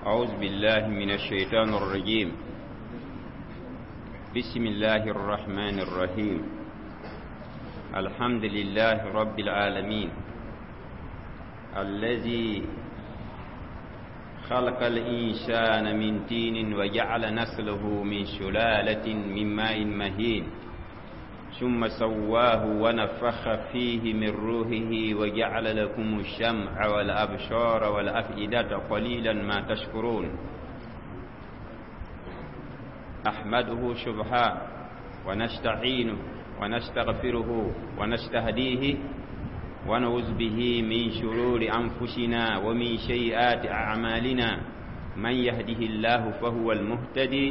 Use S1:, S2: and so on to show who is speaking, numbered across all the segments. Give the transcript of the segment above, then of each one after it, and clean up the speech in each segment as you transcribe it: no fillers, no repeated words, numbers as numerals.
S1: أعوذ بالله من الشيطان الرجيم. بسم الله الرحمن الرحيم. الحمد لله رب العالمين الذي خلق الإنسان من تين وجعل نسله من سلالة من ماء مهين، ثم سواه ونفخ فيه من روحه وجعل لكم الشمع والأبصار والأفئدة قليلا ما تشكرون. أحمده سبحانه ونستعينه ونستغفره ونستهديه ونعوذ به من شرور أنفسنا ومن سيئات أعمالنا. من يهده الله فهو المهتدي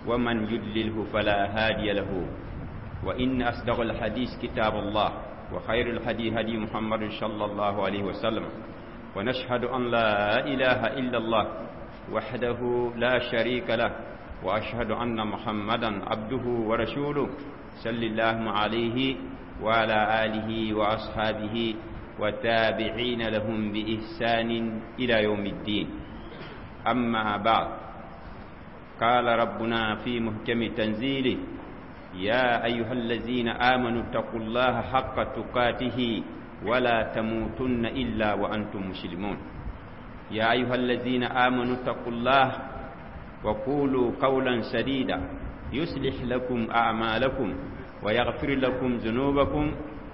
S1: ومن يضلله فلا هادي له. وإن أصدق الحديث كتاب الله، وخير الهدي هدي محمد صلى الله عليه وسلم، ونشهد أن لا إله إلا الله وحده لا شريك له، وأشهد أن محمدا عبده ورسوله صلى الله عليه وعلى آله وأصحابه والتابعين لهم بإحسان إلى يوم الدين. أما بعد، قال ربنا في محكم تنزيله: يا أيها الذين آمنوا اتقوا الله حق تقاته ولا تموتن إلا وأنتم مسلمون. يا أيها الذين آمنوا اتقوا الله وقولوا قولا سديدا يصلح لكم أعمالكم ويغفر لكم ذنوبكم،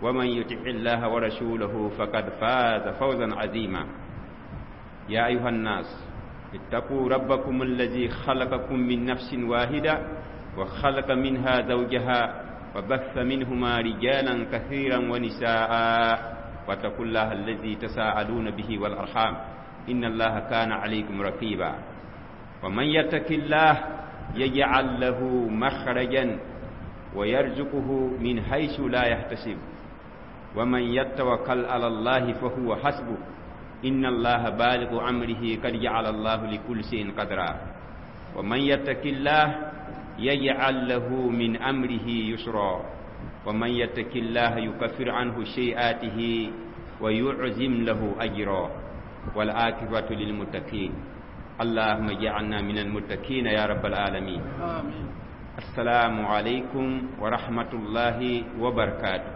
S1: ومن يطع الله ورسوله فقد فاز فوزا عظيما. يا أيها الناس اتقوا ربكم الذي خلقكم من نفس واحدة وخلق منها زوجها وبث منهما رجالا كثيرا ونساء، واتقوا الله الذي تساءلون به والأرحام إن الله كان عليكم رقيبا. ومن يتق الله يجعل له مخرجا ويرزقه من حيث لا يحتسب، ومن يتوكل على الله فهو حسبه، إن الله بالغ أمره قد جعل الله لكل شيء قدرا. ومن يتق الله يجعل له من أمره يسرا، ومن يتق الله يكفر عنه سيئاته ويعظم له أجرا. والعاقبة للمتقين. اللهم اجعلنا من المتقين يا رب العالمين.
S2: آمين.
S1: السلام عليكم ورحمة الله وبركاته.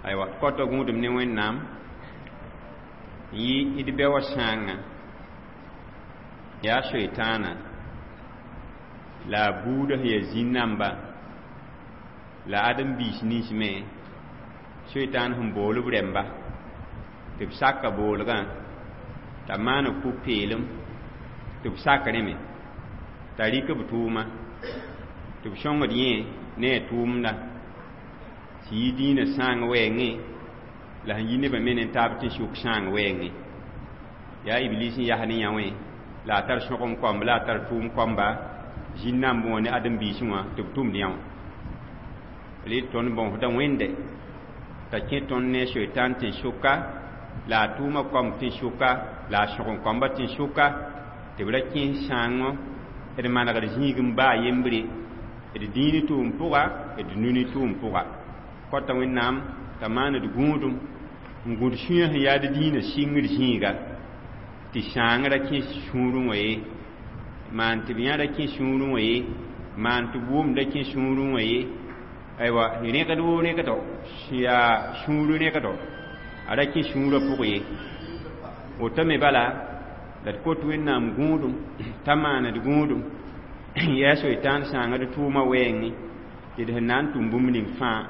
S1: أيوة، كتو غودم ني وين نام يي إدبي وشانغ يا شيطانا لا بوده يا زينامبا لا آدم بيش نيش مي شيطان هم بولو برمبا tɩ b saka boolgã t'a maan ku-peelem tɩ b sak rẽme t'a rɩk b tʋʋma tɩ b sõngd yẽ ne a tʋʋmda tɩ yɩ dĩinã sãang wɛɛngẽ la sẽn yi nebã me ne taab tɩ sʋk sãang wɛɛngẽ. Yaa Iblis n yas ne yã wẽ la a tar sõgem koamb la a tar tʋʋm koamba zĩn-nambẽ wã ne ãdem-biisẽ wã tɩ b tʋmd yã wã. Rɩ tõnd bõosda Wẽnde t'a kẽ tõnd ne soitan tẽn-sʋka la a tʋʋma koamb tẽn-sʋka la a sõgem koamba tẽn-sʋka tɩ b ra kẽes sãango d manegd zĩig n baa yembre d dĩini tʋʋm pʋga d nuni tʋʋm pʋga. Kõta Wẽnnaam t'a maan d gũudum n gũd sũyã sẽn yaa d dĩinã sɩngd zĩiga tɩ sãang ra kẽ sũurẽ wã ye, maan tɩ b yã ra kẽ sũurẽ wã ye, maan tɩ b wʋm ra kẽ sũurẽ wã ye. Aywa, rẽgd woo rẽgdo sẽn yaa sũur rẽgdo a ra kẽ sũurã pʋg ye. Woto me bala la d kot Wẽnnaam gũudum t'a maan d gũudum yaa soitaan sãanga d tʋʋma wɛɛngẽ tɩ d sẽn na n tʋm bũmb ning fãa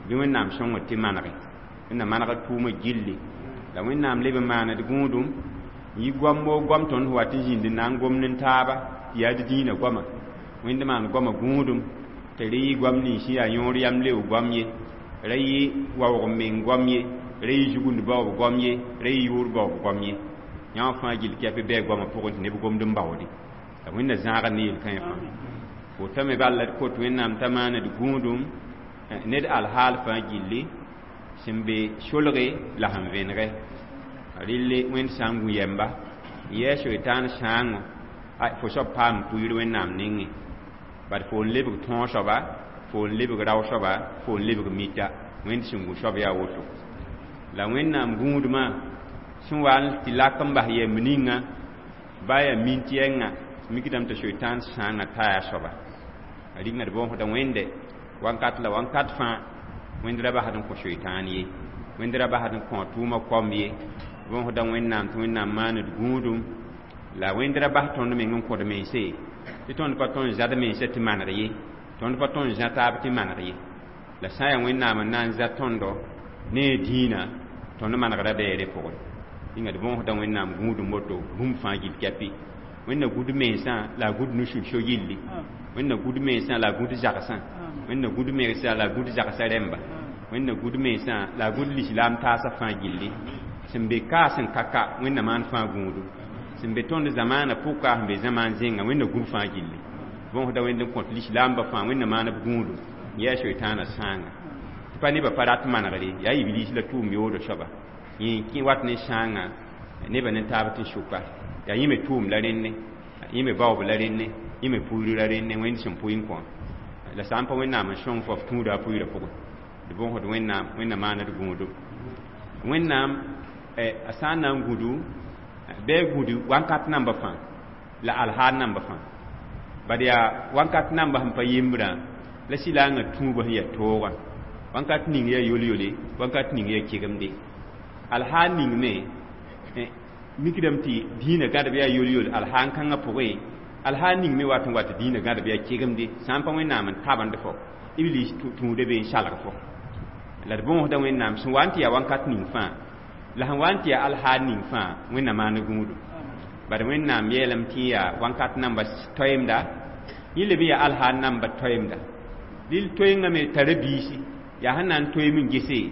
S1: bɩ Wẽnnaam sõngd tɩ manege. Wẽnnaam maneg d tʋʋmã gilli la Wẽnnaam leb n maan d gũudum yi goam woo goam tõnd sẽn wat n zĩnd n na n gomd n taaba tɩ yaa d dĩinã goama. Wẽnd maan goamã gũudum tɩ rẽ yɩ goam nins sẽn yaa yõor yam leoog goam ye, ra yɩ waoog meng goam ye, ra yɩ zugund baoob goam ye, ra yɩ yʋʋr baoob goam ye. Yã wã fãa gill kɛp bɩ a goamã pʋgẽ tɩ neb gomd n baoode. La Wẽnna zãagd ne yel-kãe fãa. Woto me bala d kot Wẽnnaam t'a maan d gũudum ned alhaal fãa gilli sẽn be solge la sẽn vẽnege. Rɩlle Wẽnd sã n gũ yɛmba n yɛɛ soitaan sãango fo soab paam pʋɩɩr Wẽnnaam nengẽ. Bad fo n lebg tõog soaba, fo n lebg rao soaba, fo n lebg mita. Wẽnd sẽn gũ soab yaa woto. La Wẽnnaam gũudmã Sẽn wa n tɩ lak n bas yɛmb ninga ba yaa mint yɛnga mikdame tɩ soitan sãangã taya soaba a rĩnga d bõosda Wẽnde wakat la wakat fãa. Wẽnd ra basd n kõ soitaan ye, Wẽnd ra basd n kõ tʋʋmã koam ye. Bõosda Wẽnnaam tɩ Wẽnnaam maand d gũudum la Wẽnd ra bas tõnd meng n kõd mense tɩ tõnd pa tõnd zad mensã tɩ maneg ye, tõnd pa tõnd zã taab tɩ maneg ye. La sã n yaa Wẽnnaam n na n za tõndo ne a dĩinã, tõnd manegda beere pʋgẽ. Rĩnga d bõosda Wẽnnaam gũudum woto bũmb fãa gill kɛpɩ. Wẽnna gũd mensã la a gũd nusul so gilli, Wẽnna gũd mensã la a gũd zagsã, Wẽnna gũd mensã la a gũd zagsã rẽmba, Wẽnna gũd mensã la a gũd lislaam taasã fãa gilli. Sẽn be ka sẽn ka ka, Wẽnna maan fãa gũudu. Sẽn be tõnd zamaanã pʋka, sẽn be zamaan zẽnga, Wẽnna gũb fãa gilli. Bõosda Wẽnd n kõt lislaambã fãa, Wẽnna maan b gũudu n yaa soitaanã sãanga tɩ pa nebã pa rat manegre yaa Iblis la tʋʋm yoodã soaba yẽ kẽ wat ne sãanga nebã ne taab tɩ sʋka yaa yẽ me tʋʋm la rẽnne, yẽ me baoob la rẽnne, yẽ me pʋɩr la rẽnne. Wẽnd sẽn pʋɩ n kõ la sã n pa Wẽnnaam n sõng fo f tũuda a pʋɩɩrã pʋgẽ. D bõosd Wẽnnaam, Wẽnna maana d gũudum. Wẽnnaam a sã n na n gũdu bɩ a gũdu wakat namba fãa la alhaal namba fãa, bad yaa wakat namba sẽn pa yembrã la sɩlaangã tũubã sẽn yaa toogã. Wakat ning yaa yol-yole, wakat ning yaa kegemde. Alhaal ning me mikdame tɩ dĩinã gãdb yaa yol-yol alhaal kãngã pʋgẽ. Alhaal ning me wat n wa tɩ dĩinã gãdb yaa kegemde sã n pa Wẽnnaam n tabend fo Iblis tũuda be n salg fo. La d bõosda Wẽnnaam sẽn wa n tɩ yaa wakat ning fãa la sẽn wa n tɩ yaa alhaal ning fãa, Wẽnna maan gũudu. Bad Wẽnnaam yeelame tɩ yaa wakat namba toeemda, yẽ leb n yaa alhaal namba toeemda. Dɩl toeengã me tara biisi yaa sẽn na n toeem n gese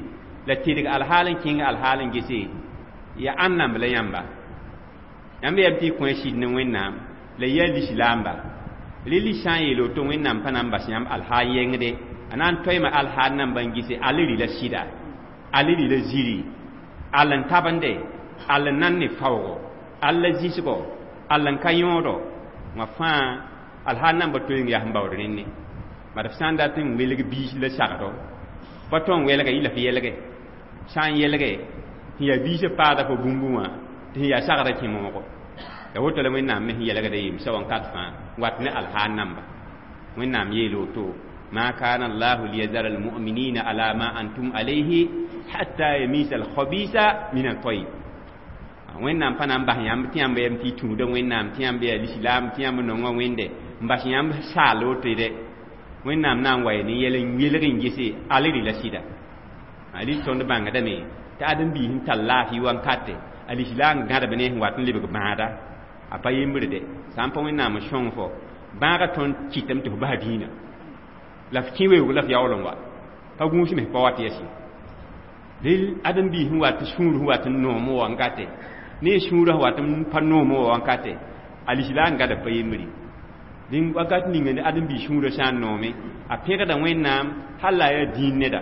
S1: la tedg alhaal n kẽng alhaal n gese yaa ãn namb la yãmba. Yãmb yam tɩ y kõ sɩd ne Wẽnnaam la yaa lislaamba. Rɩ sã n yeel woto, Wẽnnaam pa na n bas yãmb alhaal yẽngde, a na n toeema alhaal namba n gese al rɩ la sɩda, al rɩ la ziri, al n tabende, al n nan ne faoogo, al la zĩsgo, al n ka yõodo wã fãa. Alhaal namba toeeng yaa sẽn baood rẽnne. Bad f sã n dat n welg biis la sagdo pa tõe n welga yɩ la f yɛlge sã n yɛlge tɩ yaa biisã paada fo bũmbu wã tɩ sẽn yaa sagrã kẽ moogo. La woto la Wẽnnaam me sẽn yɛlgda yemsa wakat fãa wat ne alhaal namba. Wẽnnaam yeel woto: ما كان الله ليذر المؤمنين على ما أنتم عليه حتى يميز الخبيث من الطيب. Wẽnnaam pa na n bas yãmb tɩ yãmb yam tɩ y tũuda Wẽnnaam tɩ yãmb yaa lislaam tɩ yãmb nonga Wẽnde n bas yãmb saal woto dɛ. Wẽnnaam na n wa ne yɛl n welg n gese al rɩ la sɩda. Rɩ tõnd bãngdame tɩ ãdem-biis n tar laafɩ wankate a lislaam gãdb ne sẽn wat n lebg bãada a pa yembre dɛ. Sã n pa Wẽnnaam n sõng fo bãagã tõnd kɩtame tɩ fo bas dĩinã la f kẽ weoog la f yaool n wa pa gũus me pa wat yɛsẽ. Rel ãdem-biis sẽn wat sũur sẽn wat n noom wankate ne sũurã sẽn wat n pa noom wankate a lislaam gãdb pa yembre. Dĩn wakat ninga ne ãdem-biis sũurã sã n noome a pẽgda Wẽnnaam hal la a yaa dĩin neda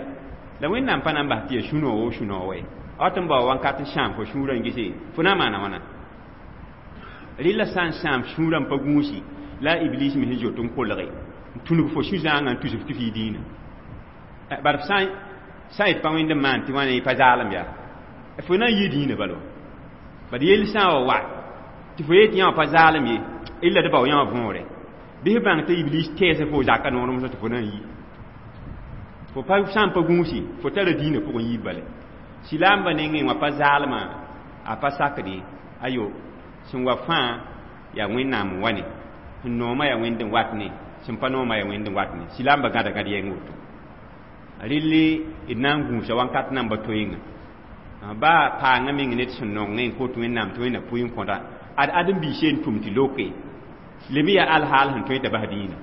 S1: la Wẽnnaam pa na n bas tɩ yaa sũ-noog wo sũ-noog wɛ a wat n bao wakat n sãam fo sũurã n gese fo na n maana wãna. Rɩla sã n sãam sũurã n pa gũusi la a Iblis me sẽn zoet n kolge n tũnug fo sũ-zãangã n tus f tɩ f yɩ dĩinã. Bad f sã n pa Wẽnd n maan tɩ wãna y pa zaalem yaa fo na n yɩ dĩinã bala bad yell sã n wa wa tɩ fo yet tɩ yã wã pa zaalem ye illa d bao yã wã võore bɩ f bãng tɩ Iblis tɛɛsã fo zaka noorem tɩ fo na n yi fo pa sã n pa gũusi fo tara dĩinã pʋgẽ yiib bale. Silaambã nengẽ wã pa zaalmã a pa sakde ayo sẽn wa fãa yaa Wẽnnaam n wa ne sẽn noomã yaa Wẽnd n wat ne sẽn pa noomã yaa Wẽnd n wat ne. Silaambã gãda gãd yɛng woto rɩlli d na n gũusa wakat namba toeenga baa paangã meng ned sẽn nongẽ n kot Wẽnnaam tɩ Wẽnna pʋɩ n kõda ad ãdem-biis n tʋm tɩ loke leb yaa alhaal sẽn tõe t'a bas dĩinã.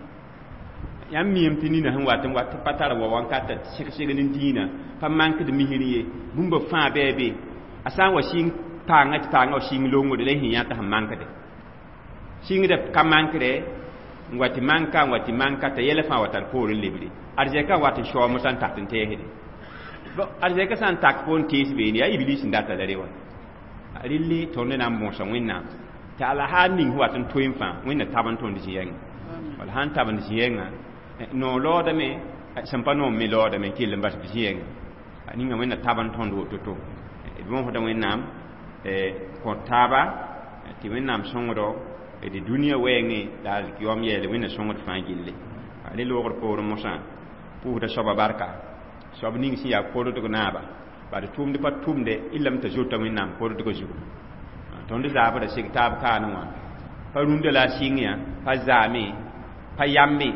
S1: Yãmb miame tɩ nina sẽn wat n wat pa tar wa wankata seg-segd n dĩinã pa mankd misr ye bũmba fãa bɩ a be a sã n wa sɩng paangã tɩ paangã wa sɩng longde la y sẽn yã t'a sẽn mankde sɩngda ka mankdɛ n wa tɩ manka n wa tɩ manka t'a yɛla fãa wa tar poor n lebre arzɛka n wat n shaoom sã n tak n tɛɛsde arzɛka sã n tak fo n tees beene yaa Iblis n data la re wa. Rɩlli tõnd na n bõosa Wẽnnaam tɩ alhaal ning sẽn wat n toeem fãa Wẽnna tab n tõnd zĩ-yɛngã wala sãn tab n zĩ-yɛngã noog laoodame sẽn pa noom me laoodame n kell n bas b zĩ-yɛngã ninga Wẽnna tab n tõnd woto-to. D bõosda Wẽnnaam Kõ taaba tɩ Wẽnnaam sõngdo d dũniyã wɛɛngẽ la alkiyoom yeele Wẽnna sõngd fãa gilli. Rẽ loogr poorẽ mosã pʋʋsda soaba barka, soab ning sẽn yaa kordg naaba, bad tʋʋmd pa tʋmde y lame t'a zota Wẽnnaam kordgã zugu. Tõnd zaabra seg taab kaanẽ wã pa rũndã la a sɩng yã pa zaame pa yambe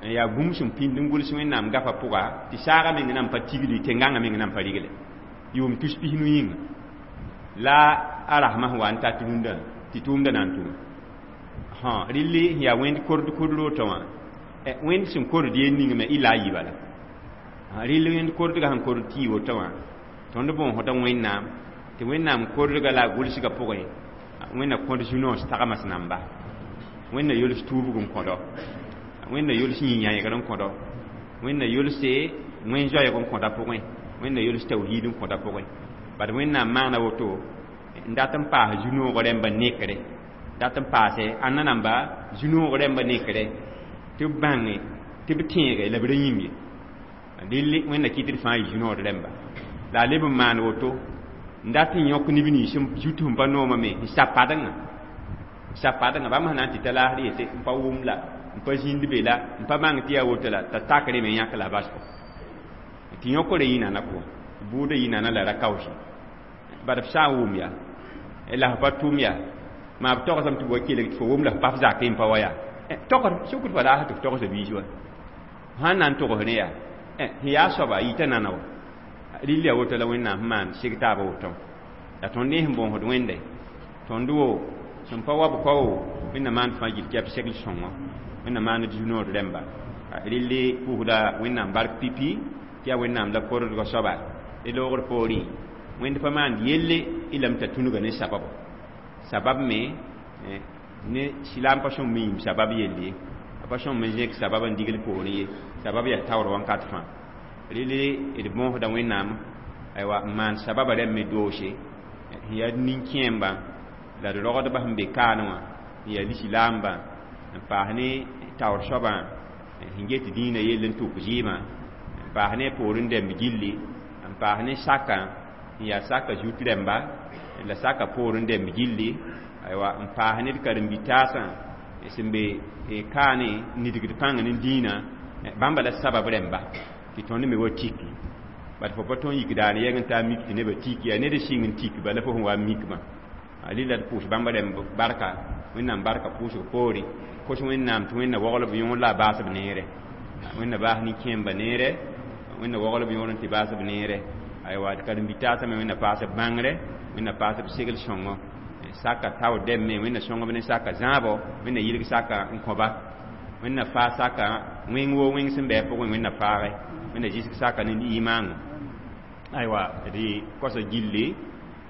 S1: yaa bũmb sẽn pĩnd n gʋls Wẽnnaam gafã pʋga tɩ saagã meng nan pa tigli, tẽn-gãngã meng nan pa rigle yʋʋm tus 15 yĩnga la a rasmã sẽn wa n tat rũndã tɩ tʋʋmdã na n tʋme. Rɩlli sẽn yaa wẽnd kord kord rotã wã, wẽnd sẽn kord yel ning me y la a yi bala. Rɩll wẽnd kordgã sẽn kord tɩ woto wã, tõnd bõosda Wẽnnaam tɩ Wẽnnaam kordga la a gʋlsgã pʋgẽ Wẽnna kõd zu-noos tagms namba, Wẽnna yols tuubg n kõdo, Wẽnna yols yĩ-yãegr n kõdo, Wẽnna yolse wẽn-zoɛɛg n kõda pʋgẽ, Wẽnna yols tawhiid n kõda pʋgẽ. Bad Wẽnnaam maana woto n dat n paas zu-noog rẽmba nekre, dat n paase ãnna namba zu-noog rẽmba nekre tɩ b bãnge tɩ b tẽege la b ra yĩm ye. Dɩl Wẽnna kɩt d fãa yɩ zu-nood rẽmba la a leb n maan woto n dat n yõk neb nins zut sẽn pa noomã me n sab padengã, sab padengã bãmb sẽn na n tɩ ta laasd yete n pa wʋm la n pa zĩnd be la n pa bãng tɩ yaa woto la t'a takre me yãk la a basgo tɩ yõkre yɩ nana pʋgẽ, bʋʋdã yɩ nana la ra kaoosi. Bad f sã n wʋm yaa la f pa tʋm yaa maa b togsame tɩ b wa kelg tɩ fo wʋm la f pa f zakẽ n pa wa yaa togd sukd fa laasd tɩ f togsa biis wa sãn na n togs ne yaa sẽn yaa soaba yita nana wa. Rɩl yaa woto la Wẽnnaam sẽn maan seg taabã woto la tõnd ne sẽn bõosd Wẽnde tõnd wo sẽn pa wa b kao Wẽnna maan fãa gill tɩ yaa b segl sõngo, Wẽnna maan d zu-nood rẽmba. Rɩlli pʋʋsda Wẽnnaam bark pipi tɩ yaa Wẽnnaam la kordgã soaba. D loogr poorẽ Wẽnd pa maand yelle y lame t'a tũnuga ne sababo, sabab me ne silaam pa sõm yĩm sabab yell ye, a pa sõm n zẽk sabab n digl poorẽ ye, sabab yaa taoor wãnkat fãa. Rɩlli d bõosda Wẽnnaam aywa n maan sababa rẽmb me doose sẽn yaa nin-kẽembã la d rogdbã sẽn be kaanẽ wã n yaa lislaambã n paas ne taoor soabã sẽn get dĩinã yell n tʋk zɩɩmã n paas ne poorẽ dɛmb gilli n paas ne sakã n yaa saka zut rẽmba la saka poorẽ dɛmb gilli aywa n paas ne d karen-bi-taasã sẽn be kaane nidgd pãng ne dĩinã bãmba la sabab rẽmba tɩ tõnd me wa tiki. Bad fo pa tõn yik daane yɛg n taa mik tɩ nebã tiki yaa ned sɩng n tik bala fo sẽn wa n mikmã. Rɩla d pʋʋs bãmba rẽmb barka, Wẽnnaam barka pʋʋsg poore kos Wẽnnaam tɩ Wẽnna wogl b yõor la a baas b neere, Wẽnna baas nin-kẽemba neere, Wẽnna wogl b yõor n tɩ baas b neere. Aywa d karen-bi-taasã me Wẽnna paas b bãngre, Wẽnna paas b segl sõngo saka tao dɛm me Wẽnna sõngb ne saka zãabo, Wẽnna yɩlg saka n kõba, Wẽnna faa saka wẽng woo wẽng sẽn bɩ a pʋgẽ Wẽnna faage, Wẽnna zɩsg saka ne imaango. Aywa d kosa gilli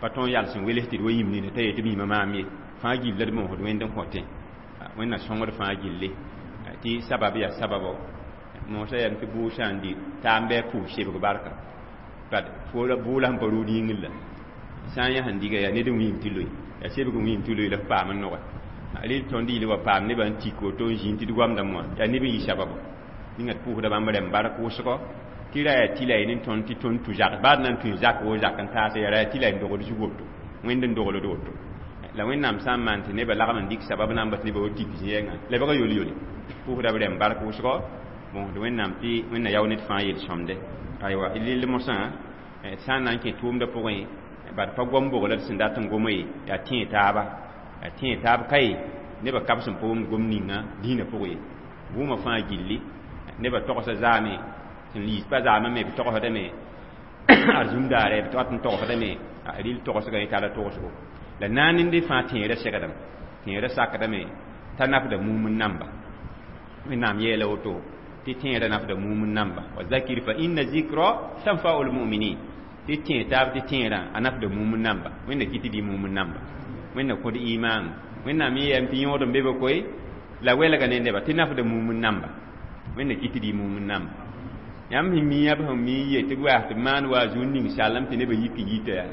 S1: pa tõn yals n wels tɩ d wa yĩm nina t'a yetɩ b yĩmã maam ye fãa gill la d moosd Wẽnd n kõtẽ. Wẽnna sõngd fãa gilli tɩ sabab yaa sababo moosã yam tɩ bʋʋg sã n di taam bɩ a pʋʋs sebg barka bad bʋʋla sẽn pa rʋʋd yĩngr la sã n yã sẽn diga yaa ned n wĩim tɩ loe yaa sebg n wĩim tɩ loe la f paam n noge. Rɩl tõnd yɩl wa paam nebã n tik woto n zĩnd tɩ d goamdame wã yaa neb n yɩ sababo ninga d pʋʋsda bãmb rẽmb bark wʋsgo tɩ ra yaa tɩ la y ne tõnd tɩ tõnd tũ zak baad na n tũ zak wo zak n taase yaa ra yaa tɩ la y n dogd zug woto Wẽnd n dogld woto la Wẽnnaam sã n maan tɩ nebã lagm n dɩk sabab namba tɩ nebã wa tik zĩ-yɛngã lebga yol-yole pʋʋsda b rẽmb bark wʋsgo bõosd Wẽnnaam tɩ Wẽnna yao ned fãa yel-sõmde. Aywa rɩl mosã sã n na n kẽ tʋʋmdã pʋgẽ bad pa gom bogla d sẽn dat n goma ye yaa tẽe taaba, yaa tẽe taab kaye nebã kab sẽn pa wʋmd gom ninga dĩinã pʋgẽ ye bʋʋmã fãa gilli nebã togsa zaame sẽn yiis pa zaamã me b togsdame arzũm daare b wat n togsdame rɩl togsgã yẽ tara togsgo la naanende fãa tẽera segdame tẽera sakdame t'a nafda mum n namba. Wẽnnaam yeela woto tɩ tẽera nafda mum n namba wa zakir fa inna zikra tanfa'u lmuminin tɩ tẽe taab tɩ tẽerã a nafda mum n namba. Wẽnna kɩ tɩ dɩ mum n namba, Wẽnna kõd imaang. Wẽnnaam yẽ yam tɩ yõod n be be koe la welga ne neba tɩ nafda mum n namba, Wẽnna kɩ tɩ dɩ mum n namba. Yãmb sẽn mi b sẽn mi n yet tɩ b waas tɩ b maan wa a zu n ning sallem tɩ nebã yik n yita yaa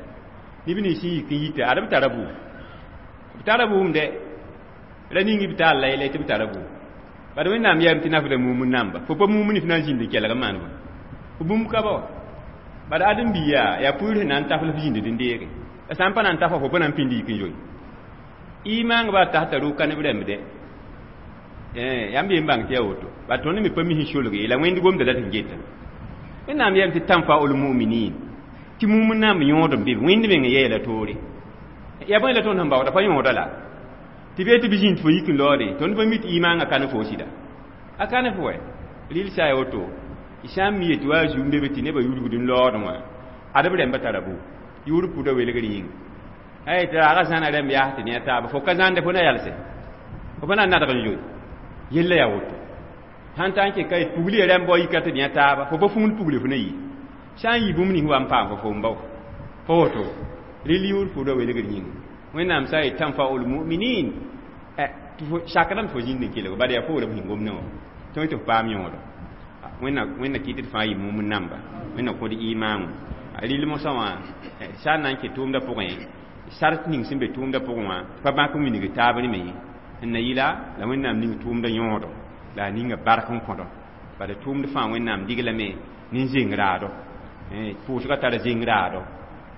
S1: neb nins sẽn yik n yita ad b tara bʋʋm, b tara bʋʋm dɛ ra ning b taal la yɛla tɩ b tara bʋʋm bad Wẽnnaam yaam tɩ nafda mum n namba. Fo pa mum ne f na n zĩnd n kelg n maan bõe fo bũmb ka ba wa bad ãdem-biiga yaa pʋʋr sẽn na n taf la f zĩnd n deege. La sã n pa na n ta fo, fo pa na n pĩnd yik n zoe. Imaang ba tasta rʋʋ ka neb rãmb dɛ. Yãmb yem bãng tɩ yaa woto. Ba tõnd me pa mis n solg ye, la Wẽnd gomda la tɩ geta. Wẽnnaam yeelame tɩ tanfaul muminin. Tɩ mumn naam yõod n be, Wẽnd meng yeela toore. Yaa bõe la tõnd sẽn baooda pa yõoda la. Tɩ bee tɩ b zĩnd fo yik n laoode, tõnd pa mi tɩ imaangã ka ne fo sɩda. A ka ne fo wɛ. Rɩl sã ya woto, y sã n mi yetɩ wa a zu n be be tɩ nebã yurgd n laoodẽ wã, ad b rãmbã tara bu. Yʋʋr pʋda welgr yĩnga. Ay tɩ raaga zãna rãmb yaas tɩ ne a taaba, fo ka zãnde fo na yalse. Fo pa na n nadg n zoe. Yella yaa woto. Sãn ta n kɩ ka pugli rãmb wa yika tɩ ne a taaba, fo pa fũud pugli fo na yi. Sã n yi bũmb nins wa n paam fo fo n bao. Fo woto. Rɩl yʋʋr pʋda welgr yĩnga. Wẽnnaam sã n yet tanfaul muminin. Tɩ fo sakdame fo zĩnd n kelg bala yaa foora b sẽn gomdẽ wã. Tõe tɩ f paam yõodo. Wẽnna kɩt tɩ fãa yɩ mumn namba. Wẽnna kõd imaam. Rɩl mosã wã sã n na n kɩ tʋʋmdã pʋgẽ, sart ning sẽn be tʋʋmdã pʋgẽ wã pa bãk n wilg taab ne me ye. N na yɩla la Wẽnnaam ning tʋʋmdã yõodo la a ninga bark n kõdo. Bala tʋʋmd fãa Wẽnnaam diglame ne zeng raado. Pʋʋsgã tara zeng raado.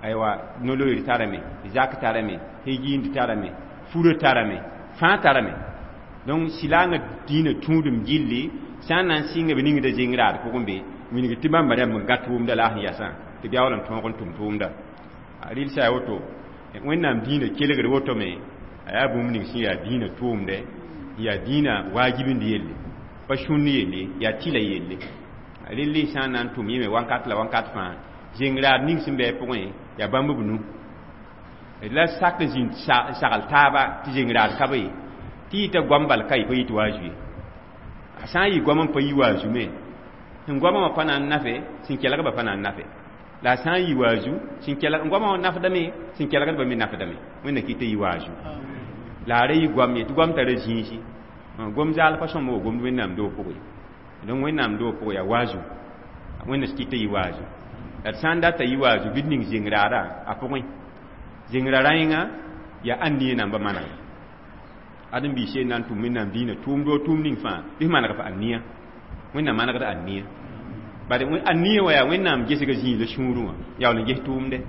S1: Aywa no-loeer tarame, zak tarame, higind tarame, furã tarame, fãa tarame. Donc silaangã dĩinã tũudum gilli sã n na n sɩnga b ningda zeng raad pʋgẽ be, wilg tɩ bãmba rãmb n gã tʋʋmda la a sẽn yasã tɩ b yaool n tõog n tʋm tʋʋmda. Rɩl sã ya woto, Wẽnnaam dĩinã kelgd woto me, a yaa bũmb ning sẽn yaa dĩinã tʋʋmdɛ, yaa dĩinã waajibind yelle, pa sũnd yelle, yaa tɩla yelle. Rɩl sã n na n tʋm yẽme wakat la wakat fãa, zeng raad ning sẽn bɩ a pʋgẽ yaa bãmb b nu. La sak n zĩnd sagl taaba tɩ zeng raad ka be ye. Tɩ yɩta goam bal ka ye pa yɩ tɩ wa zu ye. A sã n yɩ goam n pa yi wa zu me, sẽn goamã wã pa na n nafe, sẽn kelgba pa na n nafe. La a sã n yɩ wa zu, sẽn kelg goamã wã nafdame, sẽn kelgdbã me nafdame. Wẽnna kɩ tɩ yɩ wa zu. La a ra yɩ goam ye, tɩ goam tara zĩisi. Gom zaal pa sõma wa gomd Wẽnnaam doog pʋgẽ. Donc Wẽnnaam doog pʋgẽ yaa wa zu. Wẽnna kɩ tɩ yɩ wa zu. La d sã n data yɩ wa zu bɩ d ning zeng raada a pʋgẽ. Zeng ra rãenga yaa ãnd namba manegre. Ad n biis na n tʋm Wẽnnaam dĩinã tʋʋmdo tʋʋm ning fãa, bɩ f maneg f ãnnia. Wẽnnaam manegd ãnnia. Bad ãnnia wã yaa Wẽnnaam gesga zĩig la sũurẽ wã, yaool n ges tʋʋmde.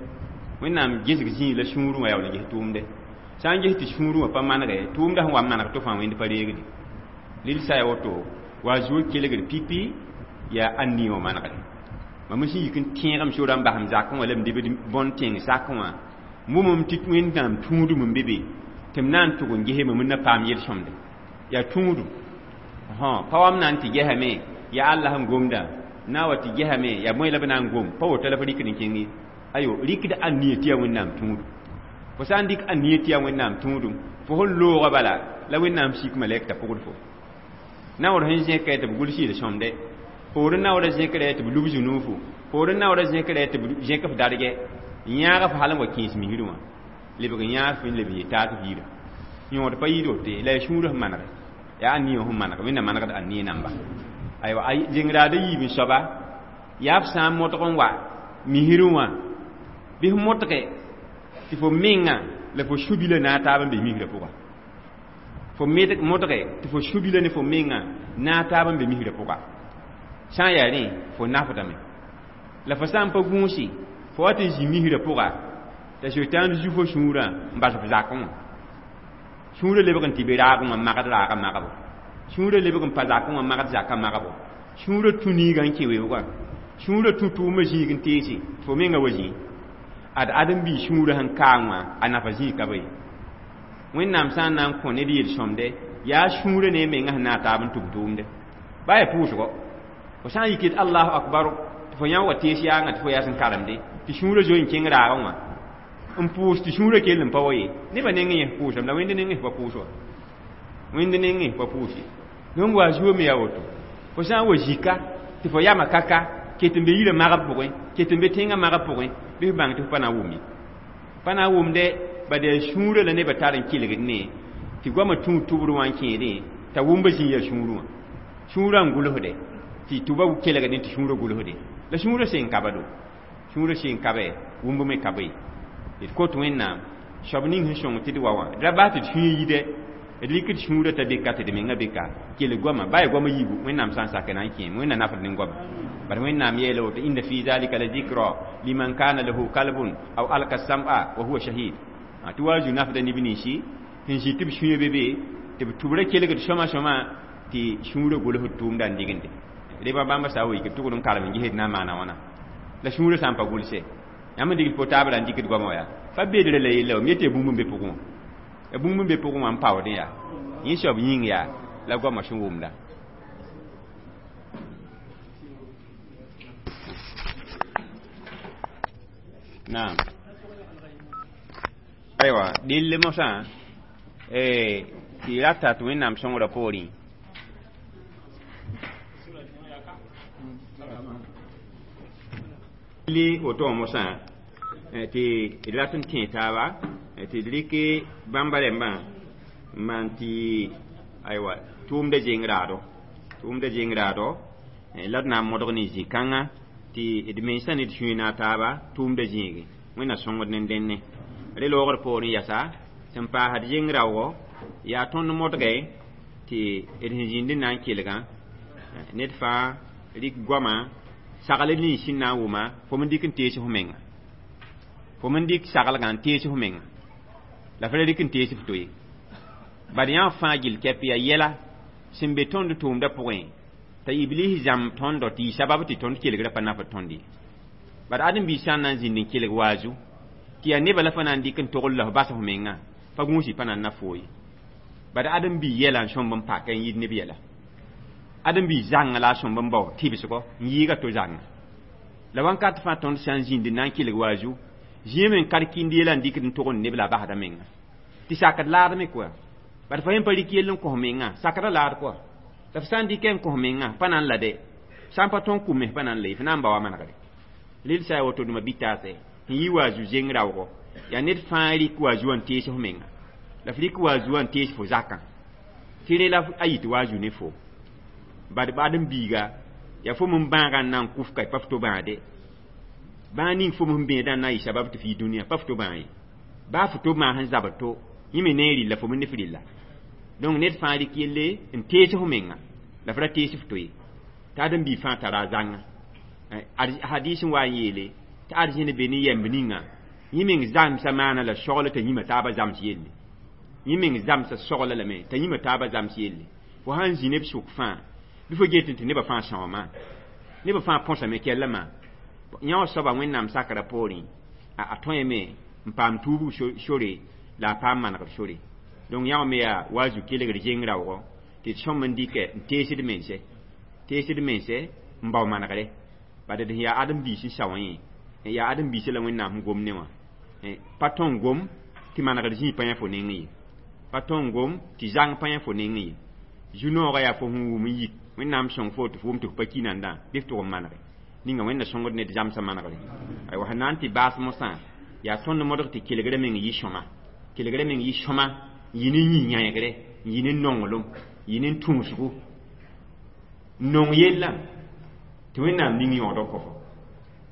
S1: Wẽnnaam gesg zĩig la sũurẽ wã yaool n ges tʋʋmde. Sã n ges tɩ sũurẽ wã pa manege, tʋʋmda sẽn wa n maneg tɩ fãa Wẽnd pa reegde. Rɩl sã ya woto, wa zuo kelgd pipi yaa ãnnia wã manegre. Mam sẽn yik n tẽegem sora n basem zakẽ wã la m debd bõn tẽng sakẽ wã, mumum tɩ Wẽnnaam tũudum n be be, tɩ m na n tʋg n gesme m na paam yel-sõmde. Yaa tũudum. Pa wa m na n tɩ gesame, yaa Allah n gomda, na wa tɩ gesame, yaa bõe la b na n gom, pa woto la f rɩkd n kẽng ye. Ayo, rɩkd ãnnia tɩ yaa Wẽnnaam tũudum. Fo sã n dɩk ãnnia tɩ yaa Wẽnnaam tũudum, fo sẽn loogã bala la Wẽnnaam sik malɛk t'a pʋgd fo. Naoor sẽn zẽka tɩ b gʋls yel-sõmde, poorẽ naoorã zẽkra tɩ b lub zũnuufu, poorẽ naoorã zẽkra tɩ b zẽk f dargɛ, n yãag f hal n wa kẽes misrẽ wã, lebg n yãag f n leb n yetaag f yira. Yõod pa yɩɩd woto ye, la yaa sũurã sẽn manege, yaa ãnnia sẽn manege, Wẽnnaam manegd ãnnia namba. Aywa, zeng raada yiib n soaba, yaa f sã n modg n wa misrẽ wã, bɩ f modge tɩ fo menga la fo sũ-bilã na a taab n be misrã pʋga. Fo modge tɩ fo sũ-bilã ne fo menga na a taab n be misrã pʋga. Sã n yaa rẽ, fo nafdame. La fo sã n pa gũusi, fo wa tɩ zĩ misrã pʋga, t'a Sʋtãan zu fo sũurã n bas f zakẽ wã. Sũurã lebg n tɩ be raagẽ wã magd raagã magbo. Sũurã lebg n pa zakẽ wã magd zakã magbo. Sũurã tũ niigã n kẽ weoogã. Sũurã tũ tʋʋmã zĩig n teese, tɩ fo menga wa zĩ. Ad ãdem-biig sũurã sẽn kaang wã, a nafa zĩig ka be ye. Wẽnnaam sã n na n kõ ned yel-sõmde, yaa sũurã ne a menga sẽn na a taab n tʋm tʋʋmde. Ba yaa pʋʋsgo. Fo sã n yik yet Allahu akbar, tɩ fo yã wa tees yaangã tɩ fo yaa sẽn karemde, tɩ sũurã zoe n kẽng raagẽ wã. N pʋʋs tɩ sũurã kell n pa wa ye. Nebã nengẽ yẽ pʋʋsame, la Wẽnd nengẽ pa pʋʋs wa. Wẽnd nengẽ pa pʋʋs ye. Donc wa zuo me yaa woto. Fo sã n wa zika, tɩ fo yama kaka, ket n be yirã magb pʋgẽ, ket n be tẽngã magb pʋgẽ, bɩ f bãng tɩ f pa na n wʋm ye. Pa na n wʋmdɛ, bad yaa sũurã la nebã tar n kelgd ne, tɩ goamã tũud tʋbr wã n kẽedẽ, t'a wʋmba zĩ yaa sũurẽ wã. Sũurã n gʋlsde, tɩ tʋba kelgdẽ tɩ sũurã gʋlsde. La sũurã sẽn ka ba do. Sũurã sẽn ka be, wʋmb me ka be. D kot Wẽnnaam, soab ning sẽn sõng tɩ d wa wã, d ra bas tɩ d sũyã yidɛ, D rɩkd sũurã t'a beka tɩ d menga beka kell goama baa goama yiibu wẽnnaam sã n sak na n kẽem wẽnna nafd ne goama bad wẽnnaam yeela woto inna fi zalika la zikra liman kana lahu kalbun aw alka sam'a wa huwa shahid tɩ wa zu nafda neb ninsi sẽn zĩ tɩ b sũyã be be tɩ b tʋbrã kelgd sõma sõma tɩ sũurã gʋlsd tʋʋmda n dɩgende reba bãmba sa wa yik b tʋgd n karem n gesd na n maana wãna la sũurã sã n pa gʋlse yãmb n digd po-taabra n dɩkd goamã yaa fa bedrã la yella wam yetɩ bũmb n be pʋgẽ wã ya bũmb n be pʋgẽ wã n paoodẽ yaa yẽ soab yĩng yaa la goamã sẽn wʋmda naam aywa dɩll mosã tɩ rata tɩ wẽnnaam sõngrã poorẽ li woto wã mosã tɩ d rat n tẽ taaba tɩ d rɩk bãmba rẽmbã n maan tɩ aywa tʋʋmda zeng raado tʋʋmda zeng raado la d na n modg ne zĩ-kãngã tɩ d mensã ne d sũyã na taaba tʋʋmda zĩige wẽnna sõngd ne dẽnne re loogr poorẽ yasa sẽn paasd zeng raoogo yaa tõnd modge tɩ d sẽn zĩnd n na n kelgã ned fãa rɩk goamã sagl nins sẽn na n wʋma fo n dɩk n tees f menga fo n dɩk saglgã n tees f menga la f ra rɩk n tees f to ye bad yã fãa gill kɛp yaa yɛla sẽn be tõnd tʋʋmdã pʋgẽ t'a iblis zãmb tõndo tɩ yɩ sabab tɩ tõnd kelgrã pa nafd tõnd ye bad ãdem-biis sã n na n zĩnd n kelg waazu tɩ yaa nebã la fa na n dɩk n togl la f bas f menga pa gũusi pa na n na foo ye bad ãdem-bi yɛla n sõmb n paka n yid neb yɛla ãdem-bi zãnga la a sõmb n bao tɩbsgɔ n yɩɩga to zãnga la wãnkat fãa tõnd sã n zĩnd n na n kelg waazu zĩame n kad kĩnd yɛla n dɩkd n togend neb la a basda menga tɩ sakd laadme koa bad fa yẽ pa rɩk yell n kõ menga sakda laad koa la f sã n dɩkɛ n kõ menga pa na n la dɛ sã n pa tõn kʋ mes pa na n la ye f na n ba wa manegre rel sã ya woto dũma bɩ taasɛ n yɩ waazu zeng raoogo yaa ned fãa rɩk waazu wã n tees f menga la f rɩk waazu wã n tees fo zakã tɩ rẽ la a yit waazu ne fo bad ãdem-biiga yaa fo m bãagã n na n kʋf ka pa f to bãade bãa ning fo m bẽedã n na n yɩ sabab tɩ f yɩ dũniyã pa f to bãa ye baa f to maas n zabr to yẽ me ne n rɩlla fo me ne f rɩlla donc ned fãa rɩk yelle n tees f menga la f ra tees f to ye tɩ ãdem-biig fãa tara a zãnga hadis n wa n yeele tɩ arzẽn be ne yɛmb ninga yẽ meng zãmsa maana la sogl t'a yĩma taabã zãms yelle yẽ meng zãmsa sogla lame t'a yĩma taabã zãms yelle fo sã n zĩ neb sʋk fãa bɩ fo get tɩ nebã fãa sãooma nebã fãa põsame kɛlla maa yã wã soaba wẽnnaam sakrã poorẽ a tõeme n paam tuubg sore la a paam manegr sore donc yã wã me yaa waazu kelgr zeng raoogo tɩ d sõm n dɩkɛ n teesd mense teesd mense n bao manegre bad d sẽn yaa ãdem-biis n sao yẽ yaa ãdem-biisã la wẽnnaam sẽn gom ne wã pa tõn gom tɩ manegr zĩig pa yã fo nengẽ ye pa tõn gom tɩ zãng pa yã fo nengẽ ye zu-noogã yaa fo sẽn wʋm n yik wẽnnaam sõng fo tɩ f wʋm tɩ f pa ki nandã bɩ f tʋg n manege ninga wẽnna sõngd ned zãmsã manegre aywa sẽn na n tɩ baas mosã yaa tõnd modg tɩ kelgrã meng yɩ sõma kelgrã meng yɩ sõma n yɩ ne yĩ-yãegre n yɩ ne nonglem n yɩ ne tũusgo n nong yella tɩ wẽnnaam ning yõod n kõ fo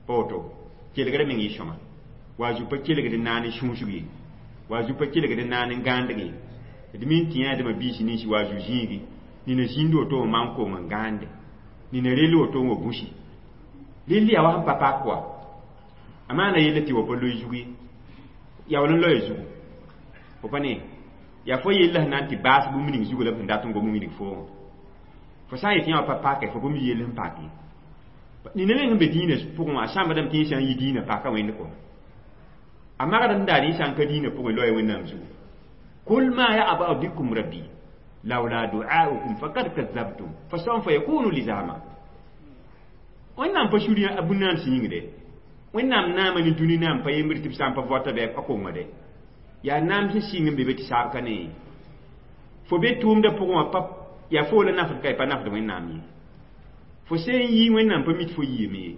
S1: pa woto kelgrã meng yɩ sõma waazu pa kelgd n naan n sũusg ye waazu pa kelgd n naan n gãandg ye d min tɩ yãadmã biis nins waazu zĩigi nina zĩnd woto wã maan kong n gãande nina rell woto n wa gũsi rell yaa wa sẽn pa pak wa a maana yella tɩ wa pa loe zug ye yaool n loya zugu fo pa ne yaa fo yella sẽn na n tɩ baas bũmb ning zugu la b sẽn dat n gom n wilg foongã fo sã n yetɩ yã wa pa pake fo pa mi yell sẽn pak ye nina meng sẽn be dĩinã pʋgẽ wã a sãmbdame tɩ yẽ sã n yi dĩinã paka wẽnd kɔ a magd n daar yẽ sã n ka dĩinã pʋgẽ loya wẽnnaam zugu kul ma ya'ba'u bikum rabbi lawla du'aukum faqad kazzabtum fasawfa yakunu lizama wẽnnaam pa suri a bũn-naam sẽn yĩngde wẽnnaam naama ne dũni naam pa yembr tɩ b sã n pa vɔta bɩ a konga de yaa naam sẽn sɩng n be be tɩ saab ka ne fo be tʋʋmdã pʋgẽ wã pa yaa fo la nafd ka pa nafd wẽnnaam ye fo sẽn yi wẽnnaam pa mit fo yiime ye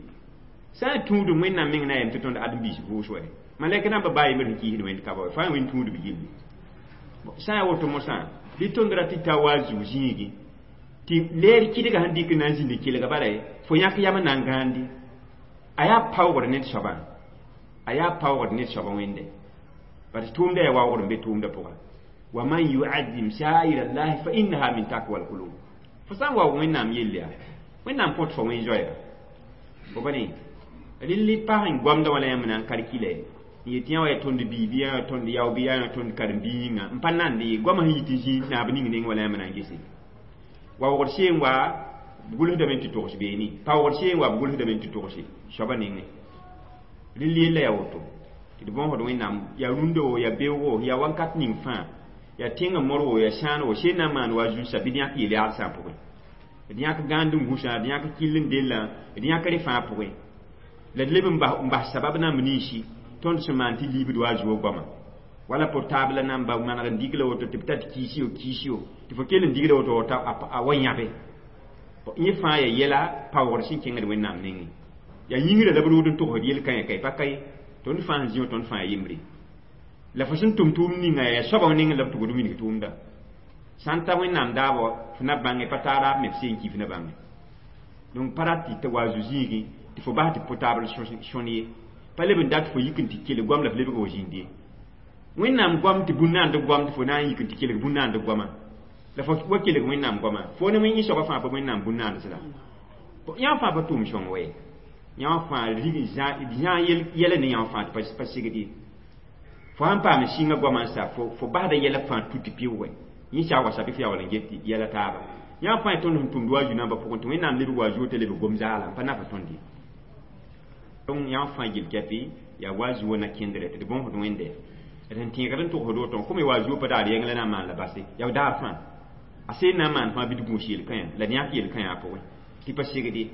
S1: sã n tũudum wẽnnaam meng na yam tɩ tõnd ãdem-biis vʋʋs wɛ malɛk namba baa yembr sẽn kiisd wẽnd ka ba fãa wẽnd tũudb gilli sã n yaa woto mosã bɩ tõnd ra tɩ ta wa zug zĩigi tɩ leer kɩdga sẽn dɩk na n zĩnd kelga bala ye fo yãk yam n na n gãandi a yaa paoogd ned soabã a yaa paoogd ned soabã wẽnde bad tʋʋmda yaa waoogd n be tʋʋmdã pʋga Wa man yu'azzim sha'air Allah fa innaha min taqwa al-qulub. Fo sã n wa Wẽnnaam yell yaa, Wẽnnaam kõt fo wẽn-zoɛɛga. Fo pa ne rɩl pag n goamda wã la yãmb na n kalkila n yet yã wa yaa tõnd bii bɩ yã tõnd yao bɩ yã tõnd karen-biig yĩnga n pa nand ye goamã sẽn yit n zĩ naab ning neng wala yãmb na n gese. Waoogd see n wa b gʋlsdame tɩ togs beene, paoogd see n wa b gʋlsdame tɩ togse soabã nengẽ. Rɩl yella yaa woto tɩ d bõosd Wẽnnaam yaa rũndã wo yaa beoogo yaa wãnkat ning fãa yaa tẽngã mor wo yaa sãan wo sẽn na n maan wa zu-sã bɩ d yãk yel-yaadsã pʋgẽ, d yãk gãand n gũsã, d yãk kill n dellã, d yãk rẽ fãa pʋgẽ. La d leb n bas sabab nãmb ninsi tõnd sẽn maan tɩ liibd wa a zuo goama. Wala portable namba maneg n dig la woto tɩ b tar kiisyo kiisyo tɩ fo kell n digda woto a wa yãbe. Yẽ fãa yaa yɛla paoogd sẽn kẽngd Wẽnnaam nengẽ. Yaa yĩngrã la b rood n togsd yel-kãyã ka pa ka ye. Tõnd fãa sẽn zĩ wã tõnd fãa yembre. La fo sẽn tʋm tʋʋmd ninga yaa soabã nengẽ la b tʋgd wilg tʋʋmda. Sã n ta Wẽnnaam daabɔ fo na bãnge pa taa raab me f seen ki fo na bãnge. Donc pa rat tɩ wa zu-zĩigẽ tɩ fo bas tɩ portable sõn ye. Pa leb n dat fo yik n tɩ kelg goam la f lebg wa zĩnd ye. Wẽnnaam goam tɩ bũn-naand goam tɩ fo na n yik n tɩ kelg bũn-naand goamã. La fo wa kelg Wẽnnaam goamã. Fo ne wẽn soabã fãa pa Wẽnnaam bũn-naand sẽda. Yã fãa pa tʋʋm sõng wɛ. Yã fãa zã yɛla ne yã fãa tɩ pa segd ye. Fo sãn paam sĩngã goamã n sa fo basda yɛla fãa tu tɩ pɩʋʋgẽ. Yẽ saag wa sabi fo yaa wala n get yɛla taaba. Yã fãa tõnd sẽn tʋmd wa zu-nambã pʋgẽ tɩ Wẽnnaam lebg wa zuo t'a lebg gom zaala n pa nafa tõnd ye. Donc yã fãa gil kɛpɩ yaa wa zuo na kẽndrɛ tɩ d bõosd Wẽnde. D sẽn tẽegd n togsd woto n kome wa zuo pa daar yɛng la na n maan la base yaa daar fãa. A seen na n maan fãa bɩ d gũus yel-kãyã la d yãk yel-kãyã a pʋgẽ tɩ pa segd ye.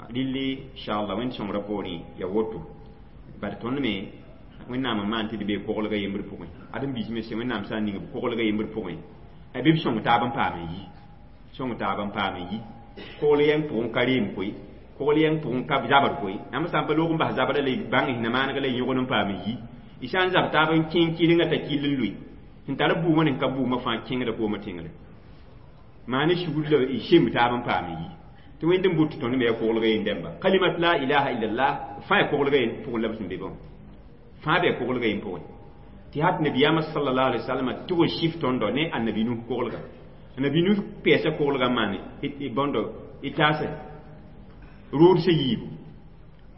S1: Rɩlli inchallah Wẽnd sõngrã poorẽ yaa woto. Bad tõnd me Wẽnnaam n maan tɩ d bee koglga yembr pʋgẽ. Ad n biis me sẽn Wẽnnaam sã n ning b koglga yembr pʋgẽ bɩ b sõng taab n paam n yi. Sõng taab n paam n yi. Kogl yɛng pʋgẽ ka reem koe, kogl yɛng pʋgẽ ka zabr koe. Yãmb sã n pa loog n bas zabra la y bãng sẽn na maaneg la y yõgd n paam n yi. Y sã n zab taab n kẽng kɩrenga t'a kill n lʋɩ. Sẽn tar bʋʋmã ne ka bʋʋmã fãa kẽngda koomã tẽngre. Maane sugr la y semb taab n paam n yi. Tɩ Wẽnd n bʋt tõnd me yaa koglga yen dẽmba. Kalimat la ilaha illallah fãa yaa koglga yen pʋgẽ la b sẽn be bõe. Fãa bɩ koglga yen pʋgẽ. Tɩ hat nabiyaamã sallallahu alaihi wasallam tʋg n sif tõndo ne annabi Nuh koglga. Annabi Nuh pɛɛsa koglga n maan bõndo y taase rood sã yiibu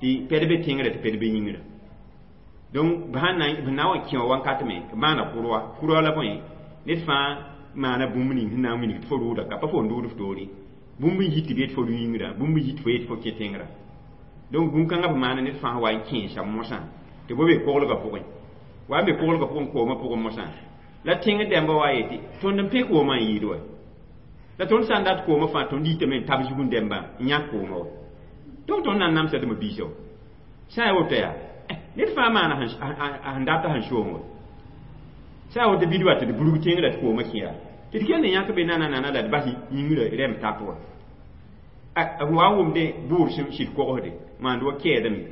S1: tɩ pɛd be tẽngrã tɩ pɛd be yĩngrã. Donc b sãn na n wa kẽ wã wakat me b maana kʋrwa. Kʋrwa la bõe ned fãa maana bũmb ning sẽn na n wilg tɩ fo rooda ka pa fo n rood f toore. Bũmb n yit tɩ b yet fo yĩngrã, bũmb n yit fo yet fo kẽ tẽngrã. Donc bũn-kãngã b maana ned fãa wa n kẽesa mosã tɩ bo be koglgã pʋgẽ. Wa n be koglgã pʋgẽ koomã pʋgẽ mosã. La tẽng dẽmbã wa yetɩ tõnd n pẽ koomã n yɩɩd wa. La tõnd sã n dat koomã fãa tõnd yitame n tab zugẽ dẽmbã n yãk koomã wa. Donc tõnd na n namsa tɩ m biisa wa. Sã n yaa woto yaa ned fãa maana sẽn data sẽn soong wa. Sã n yaa woto bɩ d wa tɩ d burg tẽngrã tɩ koomã kẽ yaa. Tɩ d kell n yãk be nana la d bas yĩngrã rɛm tap wa. Wa n wʋmde bʋʋr sẽn sɩd kogsde maand wa kɛɛdame.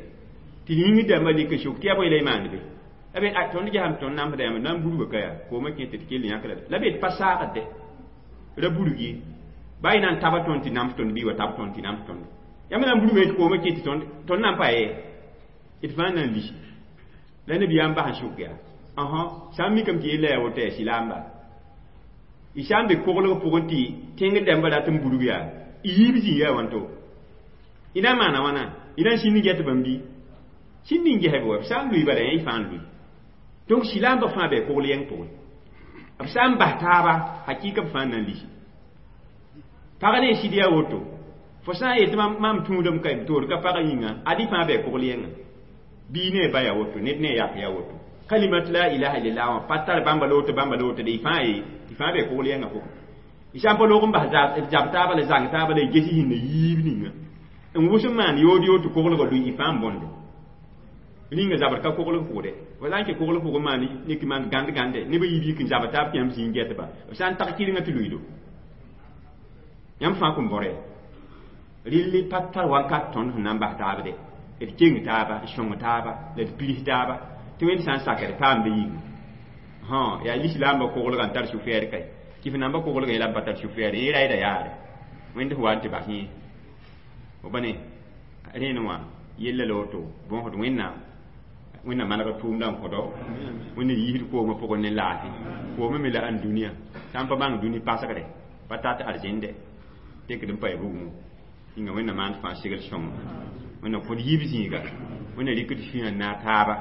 S1: Tɩ yĩngr dãmbã lɩk n sok tɩ yaa bõe la y maand be. La be tõnd gesame tõnd namsda yãmb na n burga ka yaa koomã kẽ tɩ d kell n yãk la la be d pa saagd ra burg ye. Baa y na n taba tõnd tɩ nams tõnd bɩ wa tab tõnd tɩ nams tõnd. Yãmb na n burga tɩ koomã kẽ tɩ tõnd na n pa ye. D fãa na n lisi. La nabiyaam bas n sok yaa. Sã n mikame tɩ yella yaa woto yaa silaamba. Y sã n be koglg pʋgẽ tɩ tẽng dãmbã rat n burg yaa y yiib zĩ yaa wãnto. Y na n maana wãna? Y na n sĩnd n get bãmb bɩ? Sĩnd n gesb wa, b sã n lʋɩ bala yã y fãa n lʋɩ. Donc silaambã fãa bɩ kogl yɛng pʋgẽ. B sã n bas taaba, hakɩɩka b fãa n na n lisi. Pag ne sɩd yaa woto. Fo sã n yetɩ mam tũudame ka toor ka pagã yĩnga, ad-y fãa bɩ kogl yɛngã. Bii ne a ba yaa woto, ned ne a yak yaa woto. Kalimat la ilaha illallah wã pa tar bãmba la woto, bãmba la woto de y fãa ye, tɩ fãa bɩ kogl yɛngã pʋgẽ. Y sã n pa loog n bas zab taaba la zãng taaba la y ges y sẽn na yiib ninga. N wʋs n maan yood yood tɩ koglgã lʋɩ y fãa n bõnde. Ninga zabr ka koglg pʋgde. Fo sã n kẽ koglg pʋgẽ maan nek maan gãnd gãnde neb a yiib yik n zab taab tɩ yãmb zĩ n getba. B sã n tag kɩrenga tɩ lʋɩdo. Yãmb fãa kõn bõre. Rɩl pa tar wakat tõnd sẽn na n bas taabde. D keng taaba, d sõng taaba, la d pirs taaba. Tɩ Wẽnd sã n saka d paamda yĩnga. Yaa lislaambã koglgã n tar sũ-fɛɛr kae. Tɩ f nambã koglgã yɛla b pa tar sũ-fɛɛr yẽ raɩda yaare. Wẽnd sẽn wa n tɩ bas yẽ. Fo pa ne rẽen wã yella la woto bõosd Wẽnnaam. Wẽnnaam maneg tʋʋmdã n kõdo Wẽnnaam yiisd koomã pʋgẽ ne laafɩ koomã me la ãn dũniyã sã n pa bãng dũni pasgre pa tat arzẽnde tekd n pa ya bugmo yĩnga Wẽnnaam maan fãa segl sõngo Wẽnnaam kõd yiib zĩiga Wẽnnaam rɩkd sũyã n naag taaba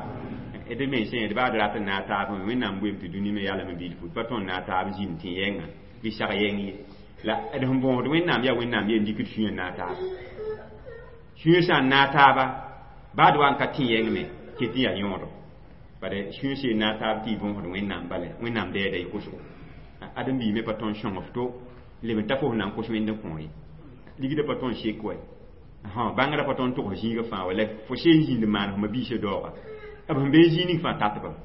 S1: d mensã d baa d rat n naag taab Wẽnnaam boeem tɩ dũni me yalame bilfu d pa tõnd naag taab zĩnd tẽ yɛnga bɩ sag yɛng ye la d sẽn bõosd Wẽnnaam yaa Wẽnnaam yen dɩkd sũyã n naag taaba sũyã sã n naag taaba baa d wa n ka tẽ yɛng me ket n yaa yõodo bare sũyã seen naag taab tɩ y bõosd Wẽnnaam bala Wẽnnaam dɛɛda y kosgo ãdem-biig me pa tõnd sõng f to leb n ta fo sẽn na n kos Wẽnd n kõ ye ligdã pa tõnd sek wa bãngrã pa tõnd togs zĩigã fãa wa la fo seen zĩnd n maan f ma-biisã daooga b sẽn bee zĩig ning fãa tatbame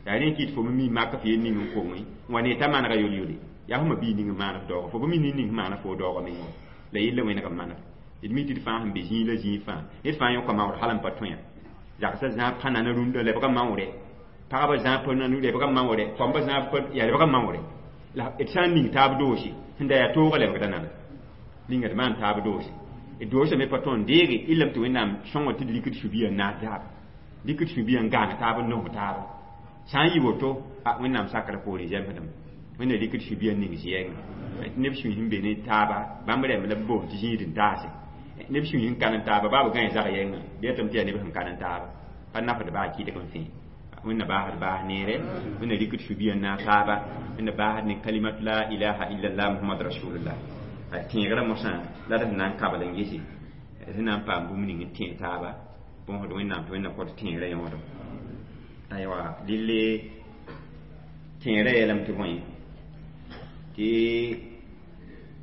S1: yaa rẽ kɩt fo me mi mak f yel ning n koŋe n wa ne t'a manega yol-yole yaa f ma-biig ning n maan f daooga fo pa mi ned ning sẽn maana fo daooga meng wa la yella wẽneg n maneg d mi tɩ d fãa sẽn be zĩig la zĩig fãa ned fãa yõka maood hal n pa tõe zagsã zãab pa nana rũndã lebga maoore pagba zãab pa nana lebga maoore koamba zãab pa yaa lebga maoore la d sã n ning taab doose sẽn da yaa toogã lebgda nana ninga d maan taab doose d doosã me pa tõnd deege illame tɩ Wẽnnaam sõngo tɩ d rɩkd sũ-biã n naas taaba rɩkd sũ-biã n gãang taab n nosg taaba sã n yɩ woto a Wẽnnaam sakrã poorẽ zemsdame Wẽnnaam rɩkd sũ-biã n ning zɩ-yɛngã tɩ neb sũy sẽn be ne taaba bãmb rɛmb la b boond tɩ zĩig n taase neb sũy sẽn ka ne taaba baa b gãe zag yɛngã bɩ yetame tɩ yaa neb sẽn ka ne taaba pa nafd baa kɩdg n fẽe Wẽnna baasd baas neere Wẽnna rɩkd sũ-biã n naag taaba Wẽnna baasd ne kalimat la ilaha illallah Muhammad rasulullah tẽegrã mosã la d sẽn na n kabl n gese d sẽn na n paam bũmb ning n tẽeg taaba bõosd Wẽnnaam tɩ Wẽnna kõt tẽegrã yõodo aywa dille tẽegrã yeelame tɩ bõe tɩ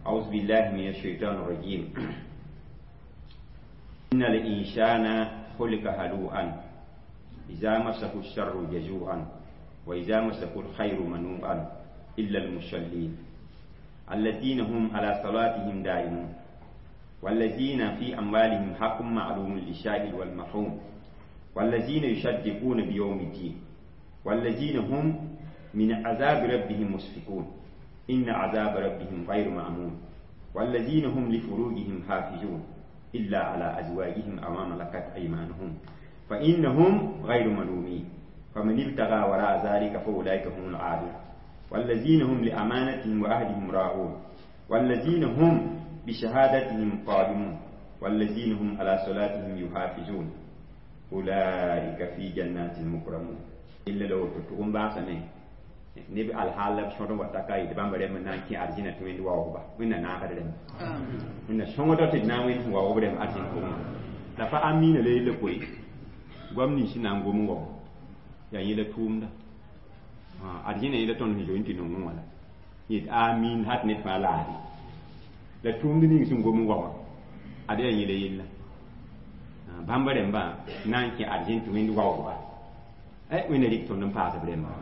S1: أعوذ بالله من الشيطان الرجيم إن الإنسان خلق هلوعا إذا مسه الشر جزوعا وإذا مسه الخير منوعا إلا المصلين الذين هم على صلاتهم دائمون والذين في أموالهم حق معلوم للسائل والمحروم والذين يصدقون بيوم الدين والذين هم من عذاب ربهم مشفقون إن عذاب ربهم غير مأمون والذين هم لفروجهم حافظون إلا على أزواجهم أو ما ملكت أيمانهم فإنهم غير ملومين فمن ابتغى وراء ذلك فأولئك هم العادون والذين هم لأمانتهم وعهدهم راعون والذين هم بشهادتهم قائمون والذين هم على صلاتهم يحافظون أولئك في جنات مكرمون إلا لو تتقوم باسمه neb alhaal la b sõd n wa ta ka yetɩ bãmba rẽmb n na n kẽ arzẽna tɩ Wẽnd waoogba Wẽnna naagd rẽmb Wẽnna sõngda tɩ d na n wẽnd sẽn waoog rẽmb arzẽn pʋgẽ la pa amiina la yella koe goam nins sẽn na n gom n wao yaa yẽla tʋʋmda arzẽna yẽla tõnd sẽn zoe n tɩ nongẽ wã la yet amin hat ned fãa laade la tʋʋmd ning sẽn gom n wa wã ad yaa yẽla yella bãmba rẽmbã na n kẽ arzẽn tɩ Wẽnd waoogba Wẽnna rɩk tõnd n paas b rẽmba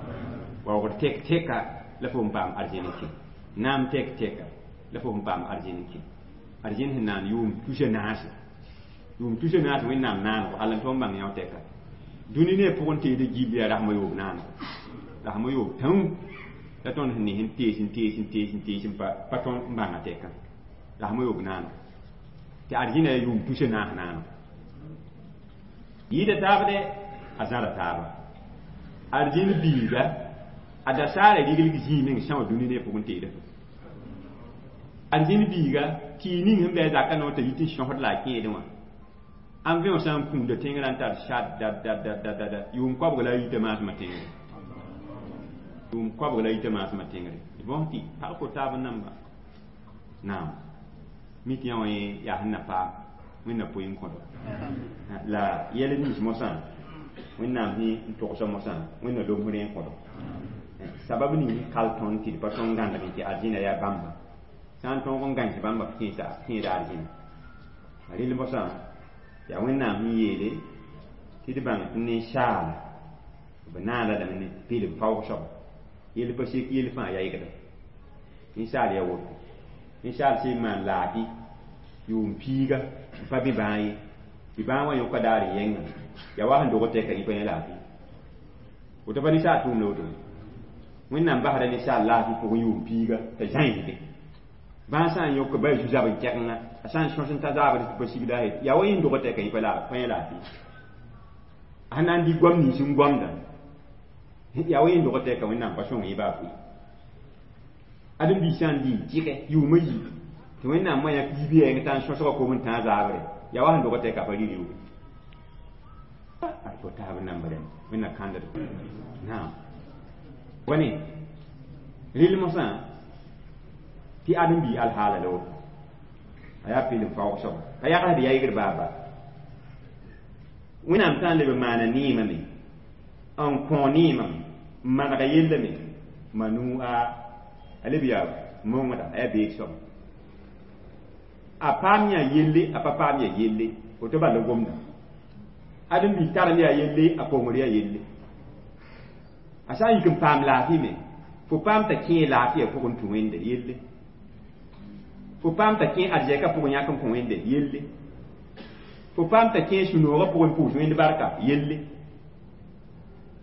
S1: waoogd tek teka la fo n paam arzẽn n kẽ naam tek teka la fo n paam arzẽn n kẽ arzẽn sẽn naan yʋʋm tusa naase yʋʋm tusa naase Wẽnnaam naanego hal n tõnd bãng yão tɛka dũni ne pʋgẽ teed gill yaa rasmã yoob naanego rasmã yoob tãu la tõnd sẽn ne sẽn tees n tees n tees n tees n pa tõnd n bãnga tɛka rasmã yoob naanego tɩ arzẽna yaa yʋʋm tusa naas naanego yɩɩda taab dɛ a zãra taaba arzẽn biiga a dasaara riglg zĩig meng sã wã dũni ne pʋgẽ teeda arzẽn biiga tɩ ning sẽn bɩ a zakã noor t'a yit n sõsd la a kẽedẽ wã an vẽ wã sã n kũunda tẽngrã n tar sat dat dat dat dat dat yʋʋm koabg la a yita maasmã tẽngre yʋʋm koabg la a yita maasmã tẽngre d bõs tɩ pag ko taab n namba naam mi tɩ yã wã yaa sẽn na paam Wẽnna poe n kõdo la yɛl nins mosã Wẽnnaam sẽn togsa mosã Wẽnna lomsd n kõdo sabab ning kal tõnd tɩ d pa tõnd gãndg tɩ arzẽna yaa bãmba sã n tõog n gãens bãmba f kẽeda arzẽna rel mosã yaa Wẽnnaam sẽn yeele tɩ d bãng tɩ ninsaala b naana lame ne pɩlem faoog soaba yell pa sek yell fãa yaygda ninsaal yaa woto ninsaal sẽn maan laafɩ yʋʋm piiga n pa bɩ bãag ye tɩ bãag wã yõka daar n yẽnga yaa wa sẽn dog tɛka yẽ pa yẽ laafɩ woto pa ninsaal tʋʋm la woto Wẽnnaam basda ninsaal laafɩ pʋgẽ yʋʋm piiga t'a zãinsde bãag sã n yõk ba zu-zab n kɛgenga a sã n sõs n ta zaabd tɩ pa sigda yaa wa yẽ dog tɛka yẽ pa yẽ laafɩ A na n dɩ goam nins n goamda yaa wa yẽnd dog tɛka Wẽnnaam pa sõng yẽ baa fʋɩ ãdem-biig sã n dɩ n tɩgɛ yʋʋmã yi tɩ Wẽnnaam wã yãk yiib yɛɛng t'a n sõsga kom n tãa zaabre yaa wa sẽn dog tɛka pa rɩ reooge fo taab namba rẽmb Wẽnna kãndd naam wa ne rɩl mosã tɩ ãdem-biig alhaala la woto a yaa pɩlem faoog soaba pa yagsd yaygr baaba Wẽnnaam sã n leb n maana neemã me n kõ neemã n manega yella me manu a leb yaa mongda a yaa beeg soaba a paam yã yelle a pa paam ya yelle woto bala gomda ãdem-biig tarem yaa yelle a kongr yaa yelle a sã n yik n paam laafɩ me fo paam t'a kẽe laafɩya pʋgẽ tũ Wẽnde yelle fo paam t'a kẽ arzɛka pʋgẽ yãk n kõ Wẽnde yelle fo paam t'a kẽ sũ-noogã pʋgẽ pʋʋs Wẽnd barka yelle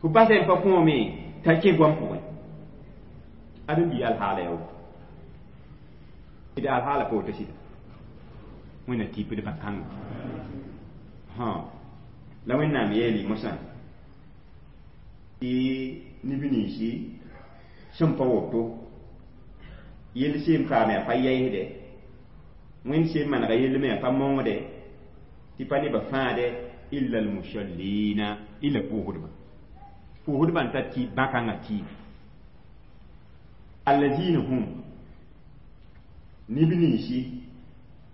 S1: fo basa n pa kõome t'a kẽ goam pʋgẽ ãdem-biig alhaala yaa woto d alhaala pa woto sɩda Wẽnna tɩpd bã-kãnga la Wẽnnaam yeele mosã tɩ neb ninsi sẽn pa woto yell seen paame a pa yaɩsdɛ Wẽnd seen manega yell me a pa mongdɛ tɩ pa nebã fãade illa almusallina illa pʋʋsdba pʋʋsdbã n tar tɩ bã-kãngã tɩɩb allazina hum neb ninsi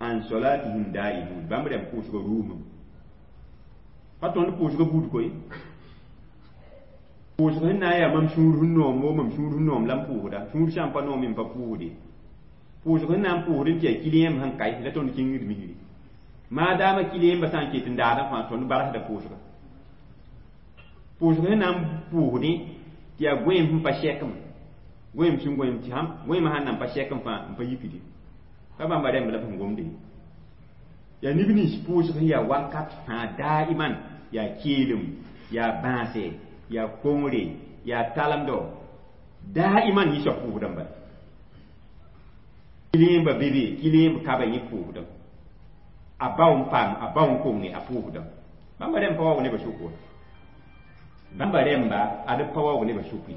S1: an solatihim daimun bãmb rãmb pʋʋsgã rʋʋmem pa tõnd pʋʋsgã buud koe pʋʋsg sẽn na n yaa mam sũur sẽn noom wo mam sũur sẽn noom la n pʋʋsda sũur sã n pa noom n pa pʋʋsde pʋʋsg sẽn na n pʋʋsd n tɩ yaa kiliyẽmb sẽn kae la tõnd kĩngd misri maadaama kiliyẽmbã sã n ket n daadã fãa tõnd barsda pʋʋsga pʋʋsg sẽn na n pʋʋsdẽ tɩ yaa goẽem sẽn pa sɛkem goẽem sẽn goẽem tɩ sãn goẽemã sãn nan pa sɛkem fãa n pa yikde pa bãmba rẽmb la b sẽn gomde yaa neb nins pʋʋsg sẽn yaa wakat fãa daiman yaa keelem yaa bãase yaa kongre yaa talemdo daiman yɩ soab pʋʋsdã bala kilẽemba bebe kilẽemb kaba yẽ pʋʋsdã a bao n paam a bao n konge a pʋʋsdã bãmba rẽmb pa waoog nebã sʋk wa bãmba rẽmba ad pa waoog nebã sʋk ye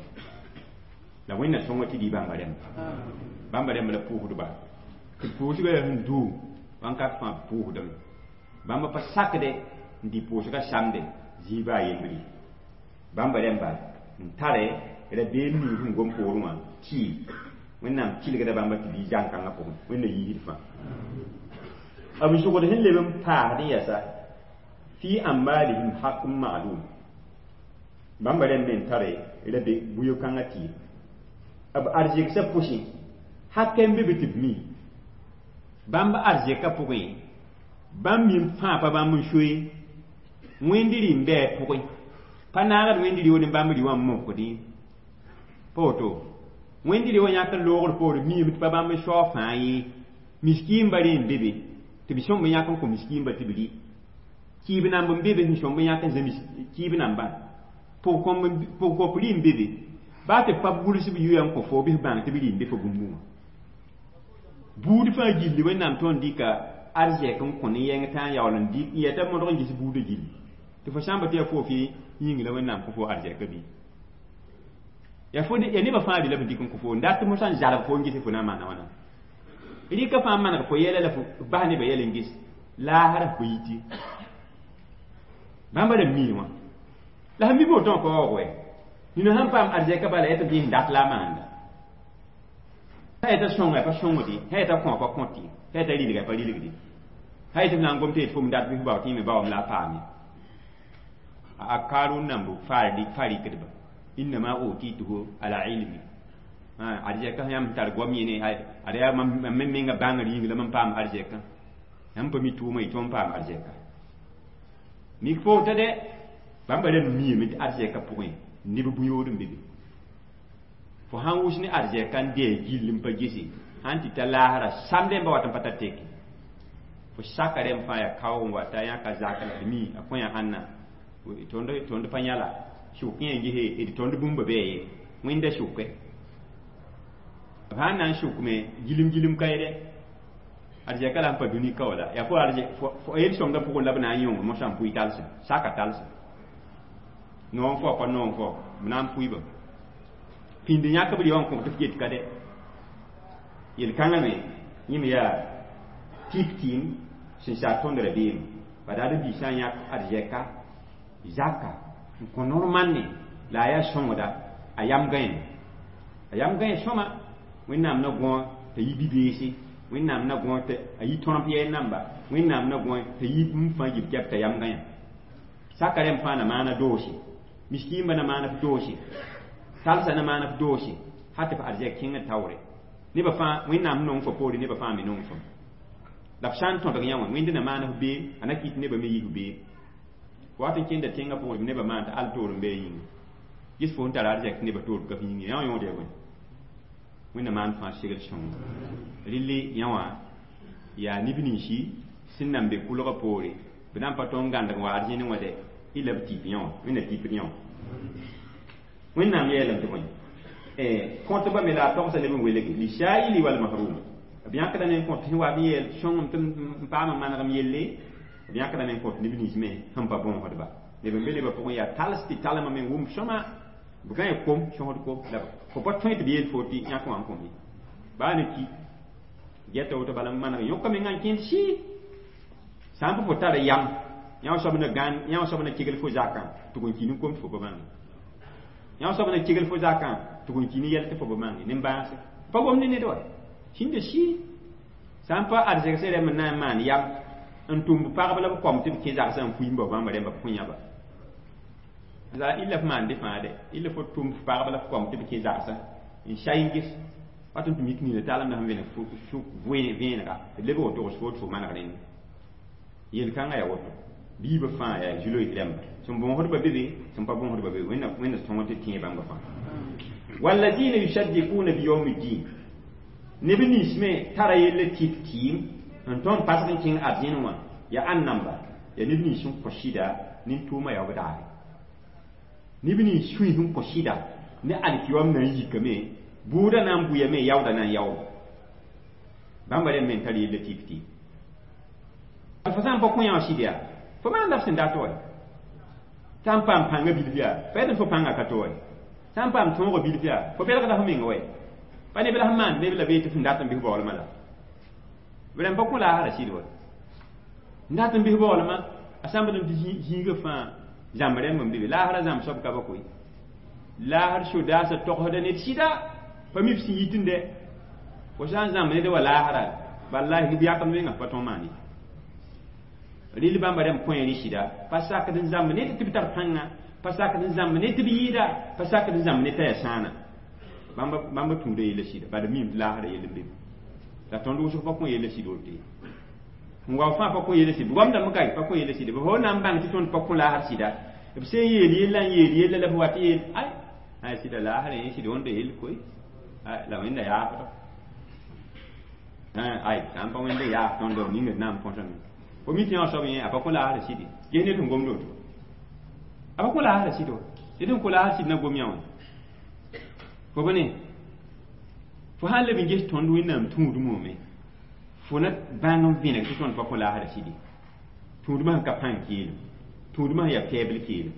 S1: la Wẽnna sõnga tɩ dɩ bãmba rẽmba bãmba rẽmb la pʋʋsdba tɩ pʋʋsgã yaa sẽn duu wãnkat fãa pʋʋsdame bãmba pa sakdɛ n dɩ pʋʋsgã samde zĩig baa yembre bãmba rẽmba n tare rabeem ning sẽn gom poorẽ wã tɩ Wẽnnaam tɩlgda bãmba tɩ bɩ zãn-kãngã pʋgẽ Wẽnna yiisd fãa b zʋgd sẽn leb n paasd n yɛsa fi amwalihim haqqun ma'lum bãmba rẽmb me n tare rabe buyo-kãngã tɩ b arzɩgsã pʋsẽ hakɛ n be be tɩ b mi bãmb arzɛka pʋgẽ bãmb mim fãa pa bãmb n soe Wẽnd rɩ n bɩ a pʋgẽ pa naagd Wẽnd rɩ ne bãmb rɩ wã n mokdẽ pa woto Wẽnd rɩ wã yãk n loogr poore miime tɩ pa bãmb n sao fãa ye miskiimba rẽ n be be tɩ b sõmb n yãk n kõ miskiimba tɩ b rɩ kɩɩb namb n be be sẽn sõmb n yãk n zã kɩɩb nambã pʋgkop rɩ n be be baa tɩ pa gʋls b yʋya n kõ fo bɩs bãng tɩ b rɩ n be fo bũmb wã buud fãa gilli Wẽnnaam tõnd dɩka arzɛk n kõ ne yɛng tã n yaool n dɩk n yɛta modg n ges buudã gilli tɩ fo sã n pa tɩ yaa fo fɩ yĩng la Wẽnnaam kõ fo arzɛka bɩ yaa fo yaa nebã fãa rɩ la b dɩk n kõ fo n dat tɩ mosã n zalg fo n ges fo na n maana wãna rɩka fãa maneg fo yɛla la fo bas nebã yɛl n ges laasra fo yiti bãmba rãmb mii wã la sẽn mi woto wã pa waoog wɛ nina sãn paam arzɛka bala yaa tɩ b yẽs dat la a maanda sã yeta sõnga pa sõngdi sã yeta kõ pa kõti sã yeta rilga pa rilgdi sã yetɩ b na n gom tɩ yet fo m dat bɩ fo bao tɩ yẽ me baoom la a paame a Karun namb fa rɩkdba innama utituhu ala ilmi arzɛka yãmb tar goam yẽne ad yaa mam me menga bãngr yĩng la mam paam arzɛkã yãmb pa mi tʋʋma y tõnd paam arzɛka mik foota dɛ bãmba rãmb miime tɩ arzɛka pʋgẽ neb bũ-yood n be be fo sãn wʋs ne arzɛka n dee gill n pa gese sãn tɩ ta laasra samdẽ n ba wat n pa tar teke fo saka rẽmb fãa yaa kaoog n wata yãka zak la d mi a kõ yã ãnna tõnd pa yãla sʋk yẽ gese d tõnd bũmba bɩ ye Wẽnda sʋke b sãn na n sʋkme gilem gilem ka ye dɛ arzɛka la n pa dũni ka wala yaa fo yel sõngã pʋgẽ la b na n yõng mosã n pʋɩ talsem saka talsem Noong fo pa noong fo b na n pʋɩba pĩnd yãk b rɩ wã n kõ tɩ f get ka dɛ yel-kãngã me yẽm yaa tɩp tɩɩm sẽn sa tõnd rabeem pa daad n biisã yãk arzɛka zaka n kõ normal la a yaa sõngda a yam gãe a yam gãe sõma Wẽnnaam na gõ t'a yi bi-beese Wẽnnaam na gõ t'a yi tõremp yɛɛr namba Wẽnnaam na gõ t'a yi bũmb fãa yib kɛp t'a yam gãyã saka rẽmb fãa na maana doose miskiimba na maana f doose talsa na maana f doose hal tɩ f arzɛk kẽngd taoore nebã fãa Wẽnnaam nong fo poore nebã fãa me nong fo la f sã n tõdg yã wã Wẽnd na maan f bee a na kɩt nebã me yik bee wat n kẽnda tẽngã pʋgẽ nebã maan tɩ al toor n bee yĩnga ges fo n tara arzɛk tɩ nebã toor ka f yĩnga yã wã yõod ya bõe Wẽnna maan fãa segl sõngo rɩlli yã wã yaa neb ninsi sẽn nan be kʋlgã poore b na n pa tõnd n gãndg n wa arzẽne wã dɛ y la b tɩp yã wã Wẽnna tɩpd yã wã Wẽnnaam yeelame tɩ bõe kõtba me la a togsa neb n welge lisaili walmahrum b yãkdame n kõt sẽn wa n yeel sõngem tɩ n paam n manegem yelle b yãkdame n kõt neb nins me sẽn pa bõosdba neb n be nebã pʋgẽ yaa tals tɩ talmame n wʋm sõma b gãe kom sõsd kom la fo pa tõe tɩ b yeel fo tɩ yãk wã n kõm ye baa ne ki gɛta woto bala n maneg yõka menga n kẽnd sɩ sã n pa fo tara yam yã soab na gãn yã soab na kegl fo zakã tɩ g n ki ne kom tɩ fo pa bãnge yã soab na kegl fo zakã tɩ g n ki ne yɛl tɩ fo pa bãnge nin-bãase pa gom ne ned wa sĩnda sɩ sã n pa arzɛgsã rẽmb n na n maan yam n tʋm pagb la b kom tɩ b kẽ zagsã n fuiimba bãmba rẽmba b kõ yãba la illa f maan dɩ fãa dɛ illa fo tʋm f pagb la f kom tɩ b kẽ zagsã n say n ges wat n tɩ mik nina taalem na sẽn vẽneg sʋk vẽenega d lebg woto togs fo tɩ fo maneg rẽnd yel-kãngã yaa woto biibã fãa yaa zu-loees rãmba sẽn bõosdba be be sẽn pa bõosdba be Wẽnna sõng tɩ tẽe bãmba fãa walladina yusaddiquna biyawmi ddin neb nins me tara yella tɩp tɩɩm n tõnd pasg n kẽng arzẽn wã yaa ãn namba yaa neb nins sẽn kõ sɩda nin-tʋʋmã yaoog daare neb nins sũy sẽn kõ sɩda ne alkiyoam na n yikame bʋʋda na n bʋyame yaooda na n yaooda bãmba rẽmb me n tar yella tɩp tɩɩm fo sã n pa kõ yã wã sɩd yaa fo maan la f sẽn dat wa sã n paam pãngã bilf yaa fa yetɩ fo pãngã ka to wa sã n paam tõogã bilf yaa fo belgda fo meng wa pa neb la sẽn maand neb la bee tɩ f n dat n bɩs baoolmã la b rãmb pa kõ laasra sɩd wa n dat n bɩs baoolmã a sãmbd n tɩ zĩigã fãa zãmb rẽmb n be be laasra zãmb soab ka ba koe laasr sodaasã togsda ned sɩda pa mi f sẽn yitẽ dɛ fo sã n zãmb ned wa laasra wallahi b yakd menga pa tõog maan ye rɩl bãmba rãmb kõ rẽ sɩda pa sakd n zãmb ned tɩ b tar pãnga pa sakd n zãmb ned tɩ b yɩɩda pa sakd n zãmb ned t'a yaa sãana bãmba tũuda yella sɩda bad mim tɩ laasra yell n be la tõnd wʋsg pa kõ yella sɩd woto ye n wa fãa pa kõ yella sɩd goamdame ka pa kõ yella sɩd b fo na n bãng tɩ tõnd pa kõ laasr sɩda b sẽn yeel yella n yeel yella la f wat yeel ay ay sɩda laasrã yẽ sɩd wẽnda yell koe la Wẽnda yaafda ay sã n pa Wẽnda yaaf tõnd b ninga d na n põsame fo mi tɩ yã soab yẽ a pa kõ laasrã sɩde ges ned sẽn gomd woto a pa kõ laasrã sɩd wa ned sẽn kõ laasr sɩd na gom yã wã fo bane fo sã n leb n ges tõnd Wẽnnaam tũudmã me fo na bãng n vẽneg tɩ tõnd pa kõ laasrã sɩde tũudmã sẽn ka pãng keelem tũudmã sẽn yaa fɛɛbl keelem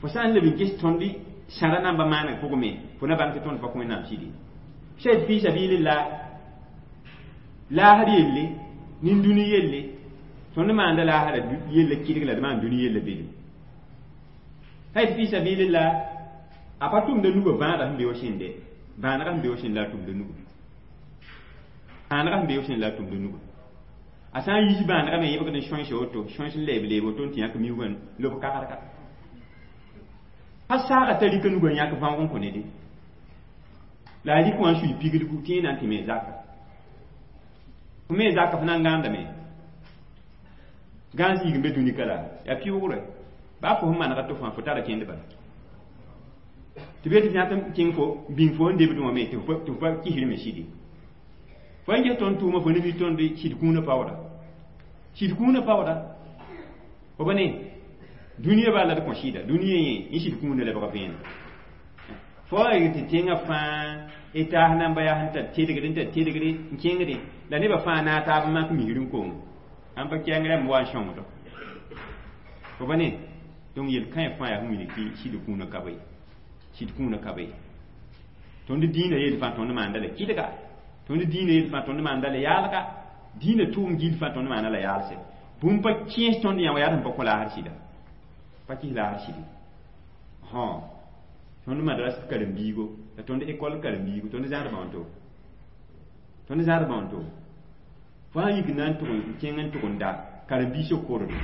S1: fo sã n leb n ges tõnd sãra namba maaneg pʋgẽ me fo na bãng tɩ tõnd pa kõ Wẽnnaam sɩde sed fi sabilillah laasr yelle nin-dũni yelle tõnd maanda laasra yella kɩdg la d maan dũni yella belem sã fi sabilillah a pa tʋmda nugã vãadã sẽn be wa sẽnde bãanegã sẽn be wa sẽnd la a tʋmda nugã bãanegã sẽn be wa sẽnd la a tʋmda nugã a sã n yiis bãanegã me yẽbgd n sõense woto sõens n leeb leeb woto n tɩ yãk miugã lob kagdga pa saaga t'a rɩka nugã yãk võog n kõ nede la a rɩk wã n sui piglgu tɩ yẽ na n tɩ me zaka fo me zaka fo na n gãandame gãan zĩig n be dũni ka la yaa pɩʋʋgrɛ baa fo sẽn manega tɩ fãa fo tara kẽnd bala tɩ be tɩ yãk n kẽng fo bĩng fo n debdẽ wã me tɩ fo pa kisr me sɩde fo n ges tõnd tʋʋma fo ne mi tõnd sɩd kũunã paooda sɩd kũunã paooda fo ba ne dũniyã baa la d kõ sɩda dũniyã yẽ yẽ sɩd kũunã lebg vẽenem fo tɩ tẽngã fãa y taas namba yaa sẽn tar tedgd n tar tedgd n kẽngdẽ la nebã fãa naag taab n mak misr n kong ãn pa kɛɛng rãmb wa n sõngdo fo ba ne Donc yel-kãe fãa yaa sẽn wilg tɩ sɩd kũunã ka be, sɩd kũunã ka be. Tõnd dĩinã yel fãa tõnd maanda la kɩdga, tõnd dĩinã yel fãa tõnd maanda la yaalga, dĩinã tʋʋm gill fãa tõnd maana la yaalse. Bũmb pa kẽes tõnd yã wa yaa sẽn pa kõ laasr sɩda, pa kɩs laasr sɩdi. Tõnd madras karen-biigo la tõnd école karen-biigo, tõnd zãadbã wãnto, tõnd zãadbã wãnto. Fo sã n yik na n tʋg n kẽng n tʋg n da karen-biisã kordo,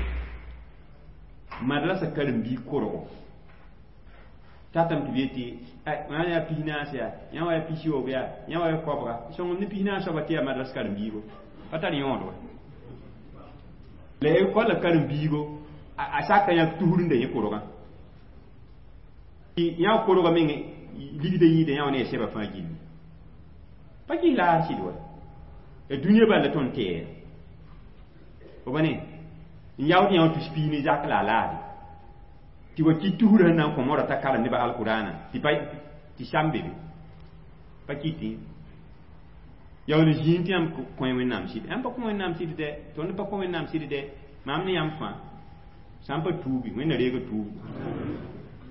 S1: madrasa karen-biig korgo tatame tɩ b yetɩ wã yaa 40 yaa, yã wa yaa 60 yaa, yã wa yaa 90. Sõngem ne 40 soaba tɩ yaa madras karen-biigo pa tar yõod wa. La école karen-biigo a saka yã tusr n da yẽ korgã, yã korgã meng ligda yĩida yã wa ne a sɛba fãa gilli, pa kɩs laasr sɩd wa. La dũniyã bal la tõnd tɛɛra fo ba ne n yaood yã wã tus piig ne zak la a laade tɩ wa kɩ tusr sẽn na n kõ moarã t'a karem nebã alkʋraanã tɩ pa tɩ sam be be pa kɩtẽ yaool zĩig tɩ yãmb kõ Wẽnnaam sɩd. Yãmb pa kõ Wẽnnaam sɩd dɛ, tõnd pa kõ Wẽnnaam sɩd dɛ. Maam ne yãmb fãa sã n pa tuubi, Wẽnna reega tuubu.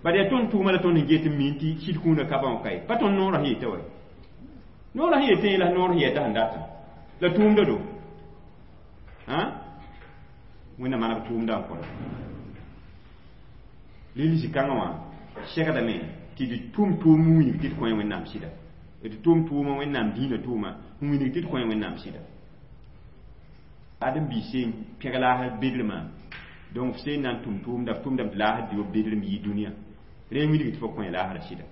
S1: Bad yaa tõnd tʋʋma la tõnd sẽn get n mi tɩ sɩd kũunã ka bã wã kae pa tõnd noorã sẽn yetã wa, noorã sẽn yetẽ la noor sẽn yɛta sẽn datã la tʋʋmda do Wẽnna maneg tʋʋmda n kõda lil zĩ-kãngã wã segdame tɩ d tʋm tʋʋm n wilg tɩ d kõ Wẽnnaam sɩda, d tʋm tʋʋma Wẽnnaam dĩinã tʋʋma n wilg tɩ d kõ Wẽnnaam sɩda. Ãdem-biis seen pẽg laasr bedremã, donc f seen na n tʋm tʋʋmda, f tʋmdame tɩ laasr dɩ bedrem yɩ dũniyã, rẽ n wilg tɩ fo kõ laasrã sɩda.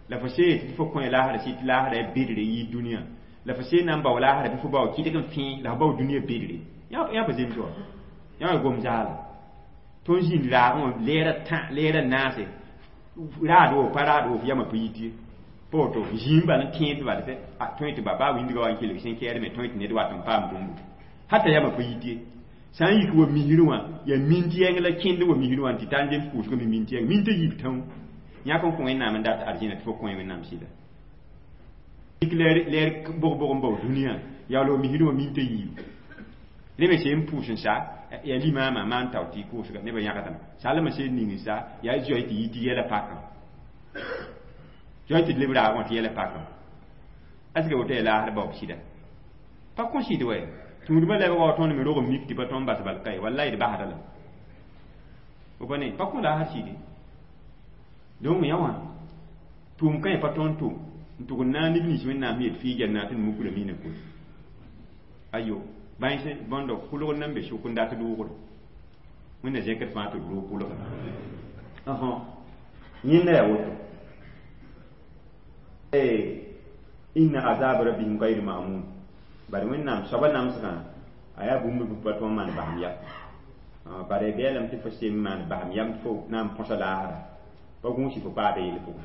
S1: La fo see tɩ fo kõ laasrã sɩd tɩ laasrã yaa bedre yɩ dũniyã, la fo seen na n bao laasrã tɩ fo bao kɩdg n fẽe la fo bao dũniyã bedre. Yã pa zems wa, yã wa gom zaala. Tõnd zĩnd raagẽ wã lɛɛrã tã, lɛɛrã naase, raad wo pa raad wo, f yamã pa yit ye. Pa woto zĩig bal n tẽed bal tõe tɩ ba baa wĩndgã wa n kelg sẽn kɛɛd me tõe tɩ ned wat n paam bũmbu hata yamã pa yit ye. Sã n yik wa misrẽ wã yaa mint yɛng la kẽnd wa misrẽ wã tɩ tar n zems pʋʋsgã me mint yɛng mint a yiib tãoo yãk n kõ Wẽnnaam n dat arzẽna tɩ fo kõ Wẽnnaam sɩda. Yik lɛɛr bog-bog n bao dũniyã yaool wa misrẽ wã mint a yiib rẽ me seen pʋʋs n sa yaa limaamã maan tao tɩ kʋʋsga nebã yãgdame salmã seen ning n sa yaa zoe tɩ yɩ tɩ yɛla pakã, zoe tɩ d leb raagẽ wã tɩ yɛla pakã. Aska woto yaa laasr baoob sɩda pa kõ sɩd wɛ tũudmã lebga wa tõnd me rog n mik tɩ pa tõnd bas bal kae wallay d basda la fo pa ne pa kõ laasr sɩde. Donc yã wã tʋʋm kãe pa tõnd tʋm n tʋg n naag neb nins Wẽnnaam yet fɩɩ gɛl na tɩ d mukra miinã koe ayo bãens bõndo kʋlgr nan be sʋk n dat doogre Wẽnna zẽkd fãa tɩ d roog kʋlga. Yẽnda yaa woto inna azab rabbihim gayr ma'mun, bari Wẽnnaam soaba namsgã a yaa bũmb b pa tõe n maan basem yam, bara b yeelame tɩ fo sem maan basem yam tɩ fo na n põsa laasra pa gũusi fo paada yell pʋgẽ.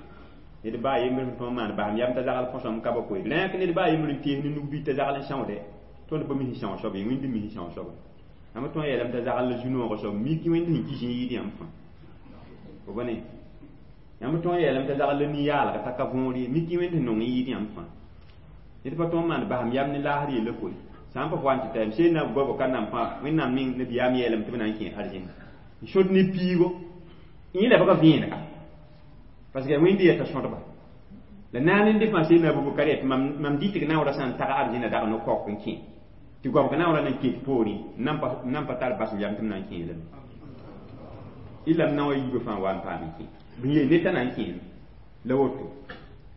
S1: Ned baa yembr sẽn tõe n maan basem yam t'a zagl põsame ka ba koe rẽk ned baa yembr n tees ne nug bɩ t'a zagl n sãoode tõnd pa mis n são soaba ye, Wẽnd n mis n são soaba. Yãmb tõe n yeelame t'a zagl la zu-noogã soab mik Wẽnd sẽn kis n yɩɩd yãmb fãa fo pa ne. Yãmb tõe n yeelame t'a zagl la nin-yaalga t'a ka võor ye, mik Wẽnd sẽn nong n yɩɩd yãmb fãa. Ned pa tõe n maan basem yam ne laasr yella koe sã n pa fo n tɩ tayem seen na goabo ka nam fãa Wẽnnaam meng nabiyaam yeelame tɩ b na n kẽ arzẽn n sod ne piigo yẽ lebga vẽenega parce que Wẽnd yeta sõdba la naan n dɩ fãa seen na Abubakar yetɩ mam dɩtg naoorã sã n tag arzẽna dag no-kaok n kẽ tɩ goabg naoorã nan ket poorẽ n nan pa tar basem yam tɩ m na n kẽelame illa m na wa yiibã fãa wa n paam n kẽ b yeel ned t'a na n kẽeme la woto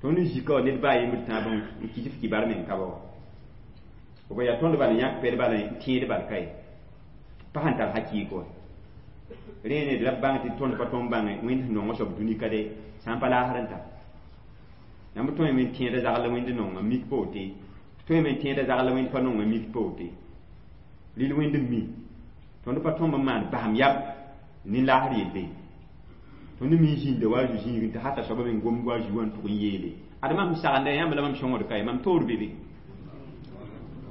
S1: tõnd n zika wa ned baa yembr tãab n kɩs f kibar meng ka ba wa fo ba yaa tõnd bal n yãk pɛd bal n tẽed bal kae pa sẽn tar hakɩɩk wa rẽ ned la b bãng tɩ tõnd pa tõnd bãnge Wẽnd sẽn nong soab dũni ka de sã n pa laasr n tar yãmb tõe me n tẽeda zagl la Wẽnd nonga mik pa wote tõe me n tẽeda zagl la Wẽnd pa nonga mik pa wote rɩl Wẽnd n mi tõnd pa tõmb n maan basem yam ne laasr yelle tõnd mi zĩnda wa zu zĩigẽ tɩ hata soaba meng gomd wa zu wã n tʋg n yeele ad mam sẽn sagenda yãmb la mam sõngd ka ye mam toor be be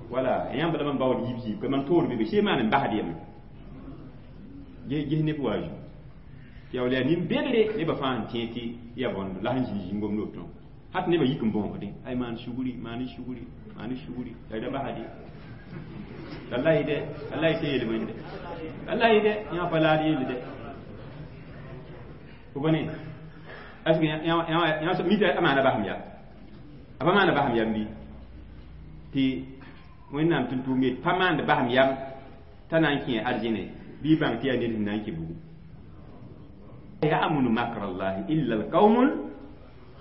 S1: wala yãmb la mam baood yiib yiib ka mam toor be be see maan n basd yame ges neb wa zu yaool yaa nin-bedre nebã fãa sẽn tẽeg tɩ yaa bõnd la sẽn zĩig zĩngomd woto hat nebã yik n bõosdẽ ay maan sugri maan sugri maan sugri la da basd ye wallahi de wallahi sẽn yel wẽnde wallahi de yã pa laad yelle de Fo ne est-ce que yã mi tɩ a maana basem ya a pa maana basem yam bɩ tɩ Wẽnnaam tʋm-tʋʋm yet pa maand basem yam t'a na n kẽ arzẽne bɩ y bãng tɩ yaa ned sẽn na n kẽ bugum. Ya'munu makra llahi illa alqaumul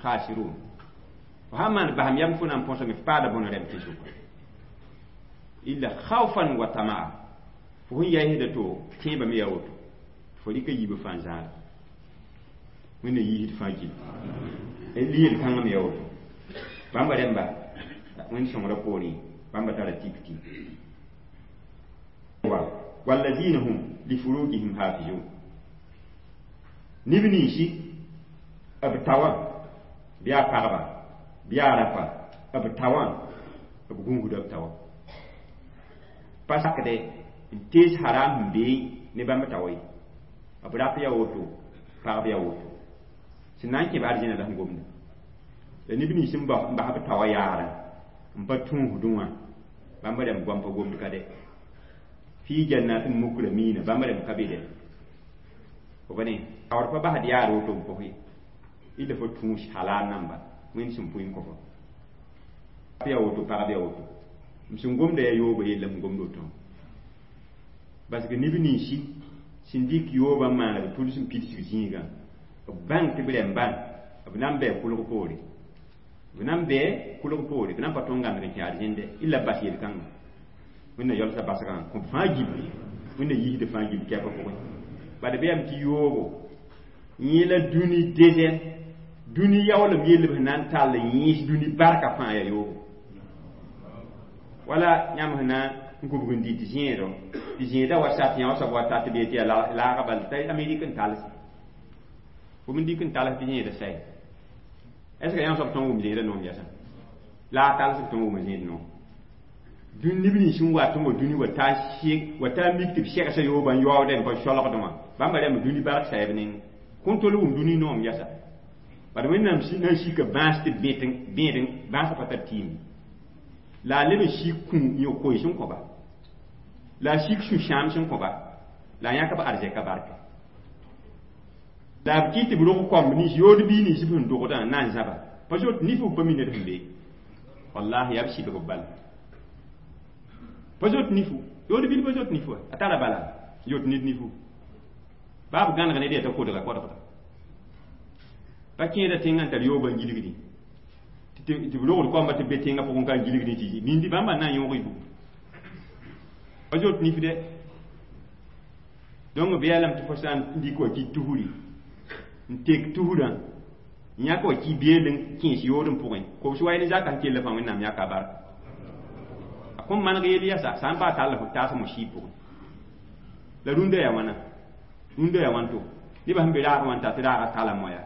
S1: khasirun. Fo sã n maand basem yam fo na n põsame f paada bõne rɛm tɩ-sʋka illa khawfan wa tamaa fo sẽn yaisda to tẽebame yaa woto fo rɩka yiibã fãa zãada Wẽnna yiisd fãa gil yel kãngã me yaa woto bãmba rẽmba Wẽnd sõngrã poorẽ bãmba tara tik tɩ wa walladina hum lifurujihim hafizun neb ninsi b tawa bɩ a pagba bɩ a rapa b tawã b gũusda b tawa pa sakdɛ n tees haram sẽn bee ne bãmb tawa ye b rap yaa woto pagb yaa woto sẽn na n kẽ b arzẽna la sẽn gomda la neb nins n bas b tawa yaarã n pa tũusdẽ wã bãmb rãmb goam pa gomd ka dɛ fi jannatin mukramina bãmb rãmb ka be dɛ fo ba ne taoor pa basd yaar woto n pʋs ye illa fo tũus halal namba Wẽnd sẽn pʋɩ n kõ fo yaa woto pagb yaa woto m sẽn gomda yaa yoobã yella m gomd woto parce que neb ninsi sẽn dɩk yoobã n maan b tʋls n pidsg zĩigã b bãng tɩ b rẽmbã b na n bɛɛ kʋlg poore b na n bɛɛ kʋlg poore b na n pa tõnd n gãndg n kẽ arzẽnde illa b bas yel-kãngã Wẽnna yalsã basgã kõ b fãa gilli Wẽnna yiisd fãa gill kɛpã pʋgẽ bad bɩ yam tɩ yoobo yẽ la dũni deuxième dũni yaoolem yell b sẽn na n tall yẽes dũni barka fãa yaa yoobo wala yãmb sẽn na n kubg n dɩ tɩ zẽedɔ tɩ zẽedã wa sat yã wa soab wa tat bee tɩ yaa laaga bal t'a Amerik n tals fo n dɩk n tals tɩ zẽedã saɛ est ce que yãmb soab tõn wʋm zẽedã noom yɛsã la a talsg tõn wʋm zẽed noom dũni neb nins n wat n wa dũni wa taa mik tɩ b segsa yoobã n yaoodẽ n pa solgdẽ wã bãmba rãmb dũni bark saɛb neng kõn tol wʋm dũni noom yɛsa bad Wẽnnaam na n sika bãas tɩ bẽed bãasã pa tar tɩɩm la a leb n sik kũ yõ-koe sẽn kõba la a sik sũ-sãam sẽn kõba la a yãk b arzɛka barka la b kɩ tɩ b rog koamb nins yood bii nins b sẽn dogdã n na n zãba pa zot nifu pa mi ned sẽn bee wallahi yaa b sɩbg b bala pa zot nifu yood bil pa zot nifu a tara bala yot ned nifu baa b gãneg ned yaa t'a kodga kodgda pa kẽeda tẽngã n tar yoobã n gilgdĩ tɩ b rogd koamba tɩ b be tẽngã pʋgẽ ka n gilgdĩ tɩ mindi bãmba na n yõog y bugum pa zot nif dɛ donc b yaa lame tɩ fo sã n dɩk wa kɩ tusri n tek tusrã n yãk wa kɩ beel n kẽes yood n pʋgẽ kobs wa ne zaka sẽn kell fãa Wẽnnaam yãka barka a kõn maneg yel yasa sã n baa tall fo taas mo sɩɩ pʋgẽ la rũndã yaa wãna rũndã yaa wãn to nebã sẽn be raagã wã n tar tɩ raagã tala moya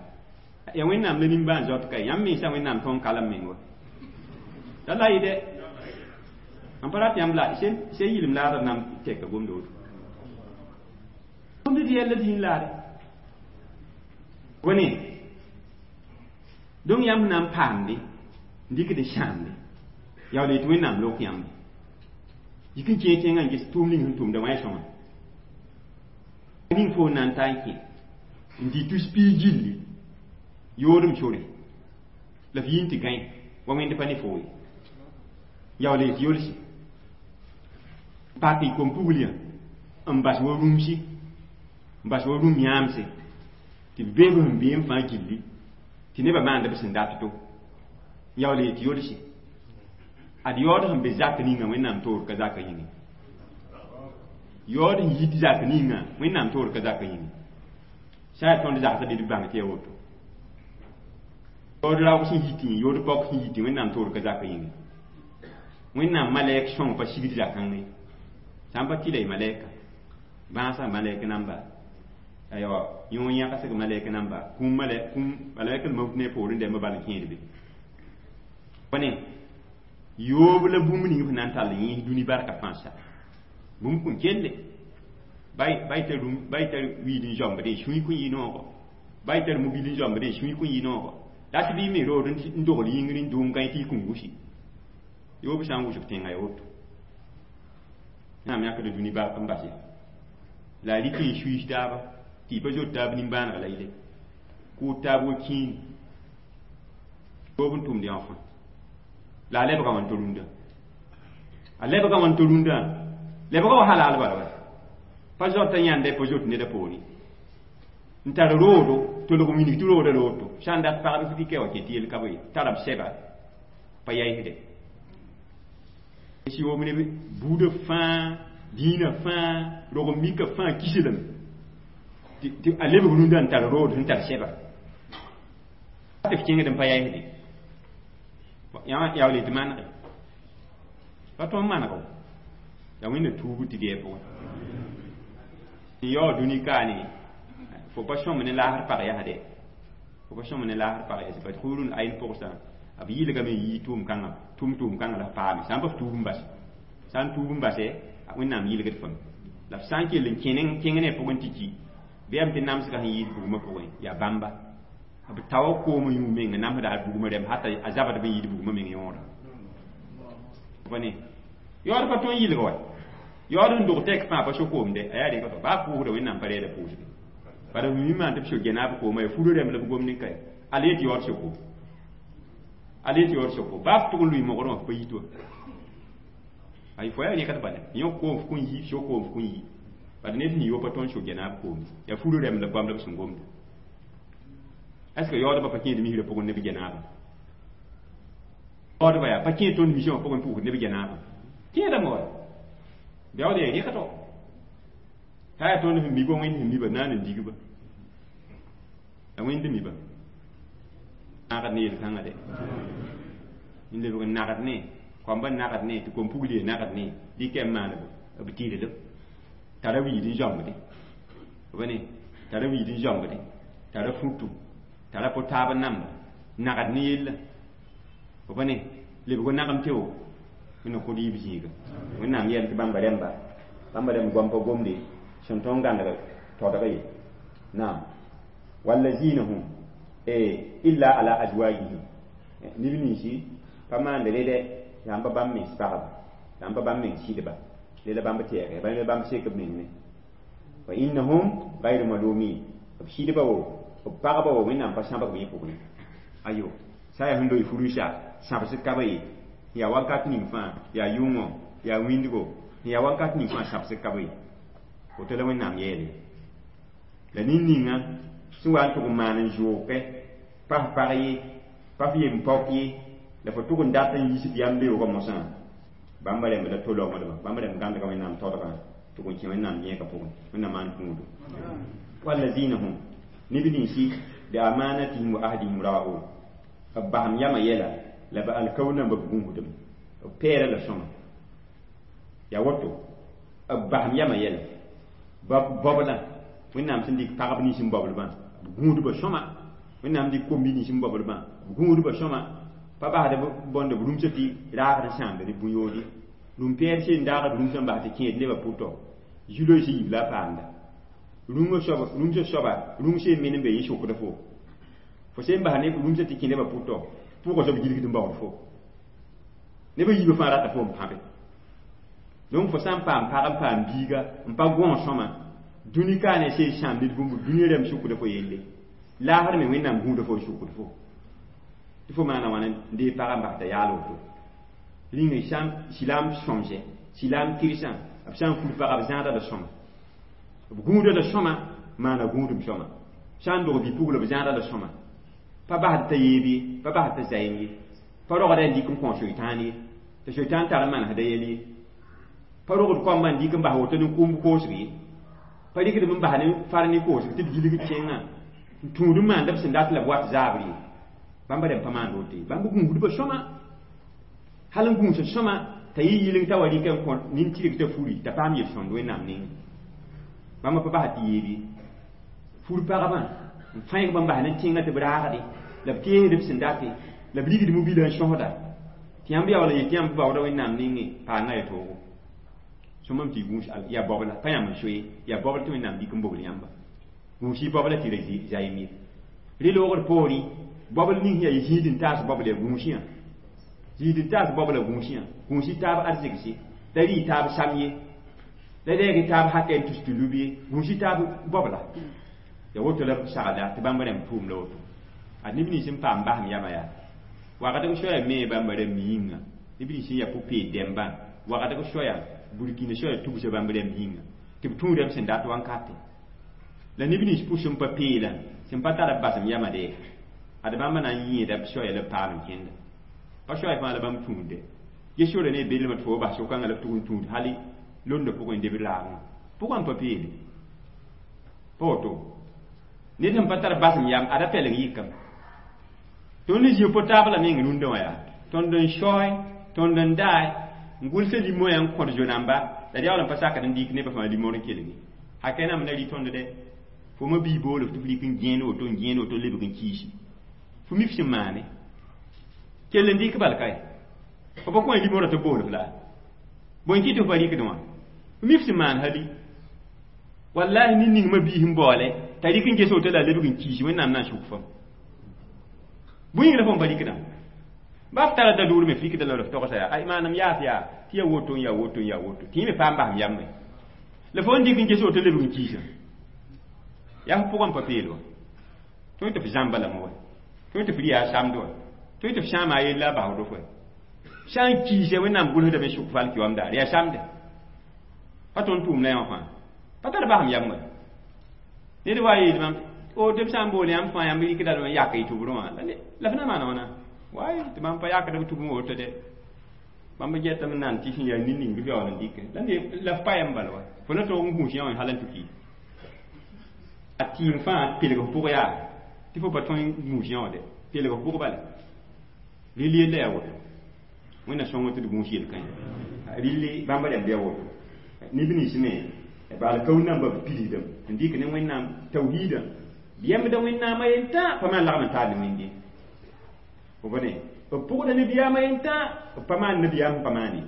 S1: ya Wẽnnaam la nimbãan zaot ka yãmb mensã Wẽnnaam tõn kalem meng wa t'a la yɩ dɛ n pa rat yãmb la se yɩlem laadr na n tɛka gomda woto gomd tɩ yɛlla zĩig laare wone donc yãmb na n paamde n dɩkd n sãamde yaool yetɩ Wẽnnaam lok yãmb yik n kẽe tẽngã n ges tʋʋm ning sẽn tʋmda wã sõma ning fo na n ta n kẽ n dɩ tus piig gilli yoodem sore la f yĩn tɩ gãe wa wẽnd pa ne foo ye yaool yetɩ yolsi pak y kom-pugl n bas wa rũmsi n bas wa rũm yãamse tɩ b beeb sẽn bee n fãa gilli tɩ nebã maanda b sẽn dat to yaool yetɩ yolsi ad yaood sẽn be zak ninga Wẽnnaam toor ka zakã yĩnge yaood sẽn yit zak ninga Wẽnnaam toor ka zakã yĩnge sã yaa tõnd zagsã bɩ d bãng tɩ yaa woto yaood raoog sẽn yitẽ yaood paoog sẽn yitẽ Wẽnnaam toor ka zakã yĩnge Wẽnnaam malɛk sõng pa sigd zakãngẽ sã n pa tɩ la y malɛka bãasã malɛk namba aywa yõ yãgsg malɛk namba kũm malɛk kũm malɛk l maut ne poorẽ dɛmba bal n kẽed be ne yoob la bũmb ning f na n tall yẽes dũni barka fãa sa bũmb kõn kelle bay tar wiid n zãmbdẽ sũy kõn yɩ noogo bay tar mobil n zãmbdẽ sũy kõn yɩ noogo dat bɩ me rood n dogl yĩngr n dʋʋm gãe tɩ y kõn gusi yoob sã n wʋsg tẽngã ya woto Wẽnnaam yãkd dũni bark n bas la a rɩk n suiis taaba tɩ y pa zot taab nimbãaneg la yɩle Kʋʋd taab wa kĩin yoob n tʋmd yã fãa la a lebga wã n to rũndã a lebga wã n to rũndã lebga wa halal bala wa pa zoata yãnda pa zoet neda poore n tar roodo tolg wilg tɩ rooda rooto sã n dat pagb dɩka wa kẽ tɩ yel ka bõe tara b sɛba pa yaisde sɩyoom ne buudã fãa dĩinã fãa rog mika fãa kislem tɩ a lebg rũndã n tar rood sẽn tar sɛba tɩ f kẽngd n pa yaisde yaool tɩ manege pa tõnd manego la wẽnna tuub tɩ gɛɛ pʋgẽ n yaoo dũni kaane fo pa sõm ne laasr pag yasde fo pa sõm ne laasr pag yas bat hurun ayn pʋgsã b yɩlgame n yii tʋʋm-kãngã tʋʋm-tʋʋm-kãngã la f paame sã n pa f tuub n bas sã n tuub n base wẽnnaam yɩlgd fame la f sã n kell n kẽng ne pʋgẽ tɩ ki bɩ yam tɩ namsga sẽn yiis bugmã pʋgẽ yaa bãmba b taoa koom yũ meng namsda al bugmã rɛm hata a zabd b n yiid bugmã meng yõoda pa ne yaood pa tõe n yɩlg wa yaood sẽn dog tɛk fãa pa so-koomde a yaa rɩka baa pʋʋsda wẽnnaam pa reeda pʋʋsde bala b mi maan tɩ b so gɛnaab kooma ya furo rɛm la b gomd n kae ala yetɩ yaood so-koom ala yetɩ yaood so-koom baa f tʋg n lʋɩ mogrẽ wã f pa yit wa ay fo yaa rẽka tɩ bala yõ koom f kõn yi so-koom f kõn yi bala ned sẽn yo pa tõnd so gɛnaab koom yaa furo rɛm la goam la b sẽn gomda est ce que yaoodbã pa kẽed misrã pʋgẽ ne b gɛnaabã yaoodba yaa pa kẽed tõnd misã wã pʋgẽ pʋʋsd ne b gɛnaabã kẽedame wa beood yaa rẽka to t'a yaa tõnd sẽn mi ba wẽnd sẽn mi ba naan n dig ba la wẽnd mi ba nagd ne yel-kãngã de n lebg n nagd ne koamba nagd ne tɩ kom-pugl nagd ne dɩka n maan b tɩrlem tara wiid n zãmbde b ne tara wiid n zãmbde tara futu tara po taab namba nagd ne yella b ne lebg nagem tɩ wo wẽnna kod yiib zĩiga wẽnnaam yɛl tɩ bãmba rẽmba bãmba rẽmb goam pa gomde sẽn tõnd gãneg todg ye naam wallazina hum illa ala azwajihim neb ninsi pa maand rede yaa n pa bãmb mens pagba yaa n pa bãmb meng sɩdba lela bãmb tɛɛge bãmb bãmb sek b meng ne wa innahum gayru malumin b sɩdba wo b pagba wo wẽnnaam pa sãbg b yẽ pʋgẽ ayo sã yaa sẽn loe furusa sãbsd ka ba ye yaa wakat ning fãa yaa yʋngõ yaa wĩndgo yaa wakat ning fãa sãbsd ka ba ye woto la wẽnnaam yeele la nin-ninga sẽn wa n tʋg n maan n zʋʋke pa f pag ye pa f yem pɔk ye la fo tʋg n dat n yiis f yam beoogã mosã bãmba rẽmb la to-laoongdba bãmba rẽmb gãndga wẽnnaam todgã tʋg n kẽ wẽnnaam yẽega pʋgẽ wẽnnaam maan kũudo wallazina hum neb ninsi bi amanatihim wa ahdihim ra'un b basem yamã yɛla la b alkaoor namba b gũusdame b pɛɛra la sõma yaa woto b basem yamã yɛla bobla wẽnnaam sẽn dɩk pagb nins n boblbã b gũudba sõma wẽnnaam dɩk kombi nins n boblbã b gũudba sõma pa basd bõnd b rũmsã tɩ raagd n sãamda ne bũ-yoode rũm-pɛɛl seen daagd rũmsã n bas tɩ kẽed nebã pʋtɔ zu-loees yiib la a paamda rũmsã soaba rũng seen men n be yẽ sokda fo fo seen bas ne rũmsã tɩ kẽ nebã pʋtɔ pʋgã soab gilgd n baood fo nebã yiibã fãa rata fo n pãbe donc fo sã n paam pag n paam biiga n pa gõog sõma dũni ka ne seen sãam ned bũmb dũniyã rãmb sukda fo yelle laasr me wẽnnaam gũuda fo n sukd fo tɩ fo maana wãna n dee pagã n bas t'a yaal woto rĩnga silaam sõmsɛ silaam kɩrsã b sã n fur pagã b zãada la sõma b gũuda la sõma maana gũudum sõma sã n dog bi-pugla b zãada la sõma pa basd t'a yeeb ye pa basd t'a zaɩm ye pa rogda n dɩk n kõ soitaan ye tɩ soitaan tar n manesda yɛl ye pa rogd koambã n dɩk n bas woto ne kʋʋmb koosg ye pa rɩkdem n bas ne far ne koosg tɩ b gilgd kẽngã n tũud n maanda b sẽn dat la b wat zaabr ye bãmba rẽmb pa maand woto ye bãmb gũusdbã sõma hal n gũusa sõma t'a yɩ yɩleng t'a wa rɩka n kõ nin-tɩrg t'a furi t'a paam yel-sõnd wẽnnaam nengẽ bãmba pa bas tɩ yeeb ye fur pagbã n fãegba n bas ne tẽngã tɩ b raagde la b teesd b sẽn date la b rigd mobila n sõsda tɩ yãmb yaool n yet yãmb baooda wẽnnaam nengẽ paanga ya toogo sõmam tɩ gũus yaa bobla pa yãmb n so ye yaa bobl tɩ wẽnnaam dɩk n bobl yãmba gũus-y bobla tɩ ra zaɩm ye rẽ loogd poorẽ bobl ning yaa zĩid n taas bobl yaa gũusã zĩid n taas bobla gũusã gũus-y taab arzegse la rɩ taab sam ye la reeg taab hakɛ n tus tɩ lub ye gũus-y taab bobla Ya woto la b sagla tɩ bãmb rãmb tʋʋm la woto. Ad neb nins n paam basem yama yaa wakatg soaya me bãmba rãmb yĩnga, neb nins n yaa pʋ-peed dẽmbã wakatg soaya burkina soaya tugsa bãmb rãmb yĩnga tɩ b tũudame sẽn dat wankate. La neb nins pʋs sẽn pa peelã sẽn pa tar b basem yama de ad bãmba na n yẽeda b soaya la b paam n kẽnda. Pa soaya fãa la bãmb tũudde ge sora ne belmã tɩ fo bas so-kãngã la b tʋg n tũud hali londã pʋgẽ debd raagẽ pʋgã n pa peele. Pa woto ned sẽn pa tar basem yam ada pɛleng yɩkame. Tõnd n zĩ po-taab la meng rũndã wã yaa tõnd n saoe tõnd n dae n gʋlsa limoyã n kõt zo-namba la d yaool n pa sakd n dɩk nebã fãa limor n kelge. Hakɛ nam la rɩ tõnd dɛ fo ma bii bool f tɩ f rɩk n gẽen woto n gẽen woto lebg n kiisi fo mi f sẽn maane kell n dɩk bal kae fo pa kõ limorã tɩ b bool f la bõe kɩ tɩ f pa rɩkdẽ wã fo mi f sẽn maan hali wallahi nin ning ma biis n baoole t'a rɩk n ges woto la a lebg n kiisi Wẽnnaam na n suk fam bõe yĩng la fo n pa rɩkdã ba f tara da-dʋʋr me f rɩkda la f togsa yaa ay maanam yaas yaa tɩ ya woto n yaa woto n yaa woto tɩ yẽ me paam basem yam me la fo n dɩk n ges woto lebg n kiisã yaa f pʋgã n pa peel wa tõe tɩ f zãmba lame wa tõe tɩ f rɩ yaa samd wa tõe tɩ f sãama a yella a basdo fo sã n kiisa Wẽnnaam gʋlsdame sʋk f alkiyoam daar yaa samde pa tõnd tʋʋm la yã wã fãa pa tar basem yam wa ned wa yeel mam o tɩ b sã n bool yãmb fãa yãmb rɩkda n yak y tʋbrẽ wã la f na maana wãna way tɩ bãmb pa yakd b tʋbẽ woto de bãmb getame nan tɩ sẽn yaa nin-ning bɩ f yaool n dɩke la f pa yam bala wa fo na tog n gũus yã wã hal n tɩ ki a tɩɩm fãa pelg f pʋg yaa tɩ fo pa tõe n gũus yã wã de pelg f pʋg bala rɩl yella yaa woto Wẽnna sõng tɩ d gũus yel-kãe rɩl bãmb rãmb yaa woto neb nins me bal kaoor namba b pidsdame n dɩk ne Wẽnnaam tawhiidã b yembda Wẽnnaamã yentã pa maan lagm n taal ne Wẽnde fo bõne b pʋgda nabiyaamã yentã b pa maan nabiyaam sẽn pa maane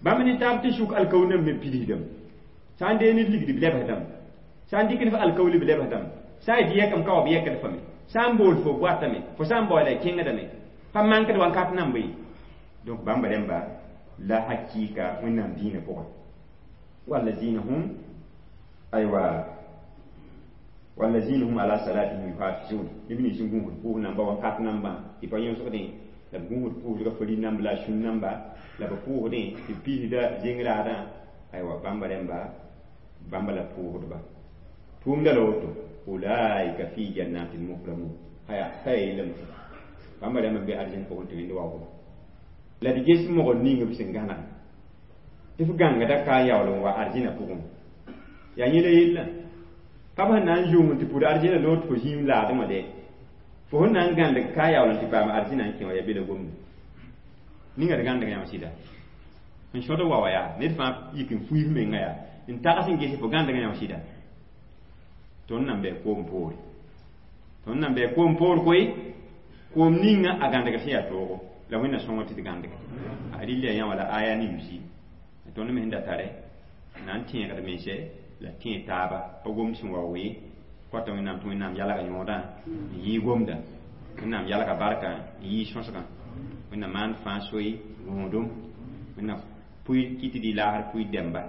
S1: bãmb ne taab tɩ sʋk alkaoor namba me pidsdame sã n dee ned ligd b lebsdame sã n dɩk ne f alkaooli b lebsdame sã n yetɩ yɛkame ka wa b yɛkd fame sã n bool fo boatame fo sã n baoola kẽngdame pa mankd wankat namba ye donc bãmba rẽmba la hakɩɩka Wẽnnaam dĩinã pʋgã wallazina hum aywa wallazina hum ala salatihim yuhafizun neb nins n gũusd pʋʋs namba wakat nambã tɩ pa yõsgdẽ la b gũusd pʋʋsga fari namba la a sũn namba la b pʋʋsdẽ tɩ b pisda zeng-raadã aywa bãmba rẽmba bãmba la pʋʋsdba tʋʋmda la woto ulaika fi jannatin mukramun aya ka ya yellame bãmba rãmb n be arzẽn pʋgẽ tɩ wẽnd waoogba la d ges mogr ning b sẽn gãneg tɩ f gãngda ka n yaool n wa arzẽna pʋgẽ yaa yẽ la yella pa b sẽn na n zʋng tɩ pʋd arzẽna loog tɩ fo zĩim laadẽ wã de fo sẽn na n gãndg ka yaool n tɩ paam arzẽna n kẽ wã yaa be la gomda ninga d gãndg yãmb sɩda n sõd wa wa yaa ned fãa yik n fuif menga yaa n tags n ges fo gãndg yãmb sɩda tõnd nan bɩ koom poore tõnd nan bɩ koom poor koe koom ninga a gãndgr sẽn yaa toogo la Wẽnna sõngo tɩ d gãndg a rɩl yaa yã wala aya ne yusi tõnd me sẽn da tare na n tẽegd mense la tẽeg taaba pa gomd sẽn wa wee kõta Wẽnnaam tɩ Wẽnnaam yalga yõodã n yɩɩ gomda Wẽnnaam yalga barka n yɩɩ sõsgã Wẽnnaam maan fãa soe rõodem Wẽnnaam pʋɩ kɩ tɩ dɩ laasr pʋɩ dɛmba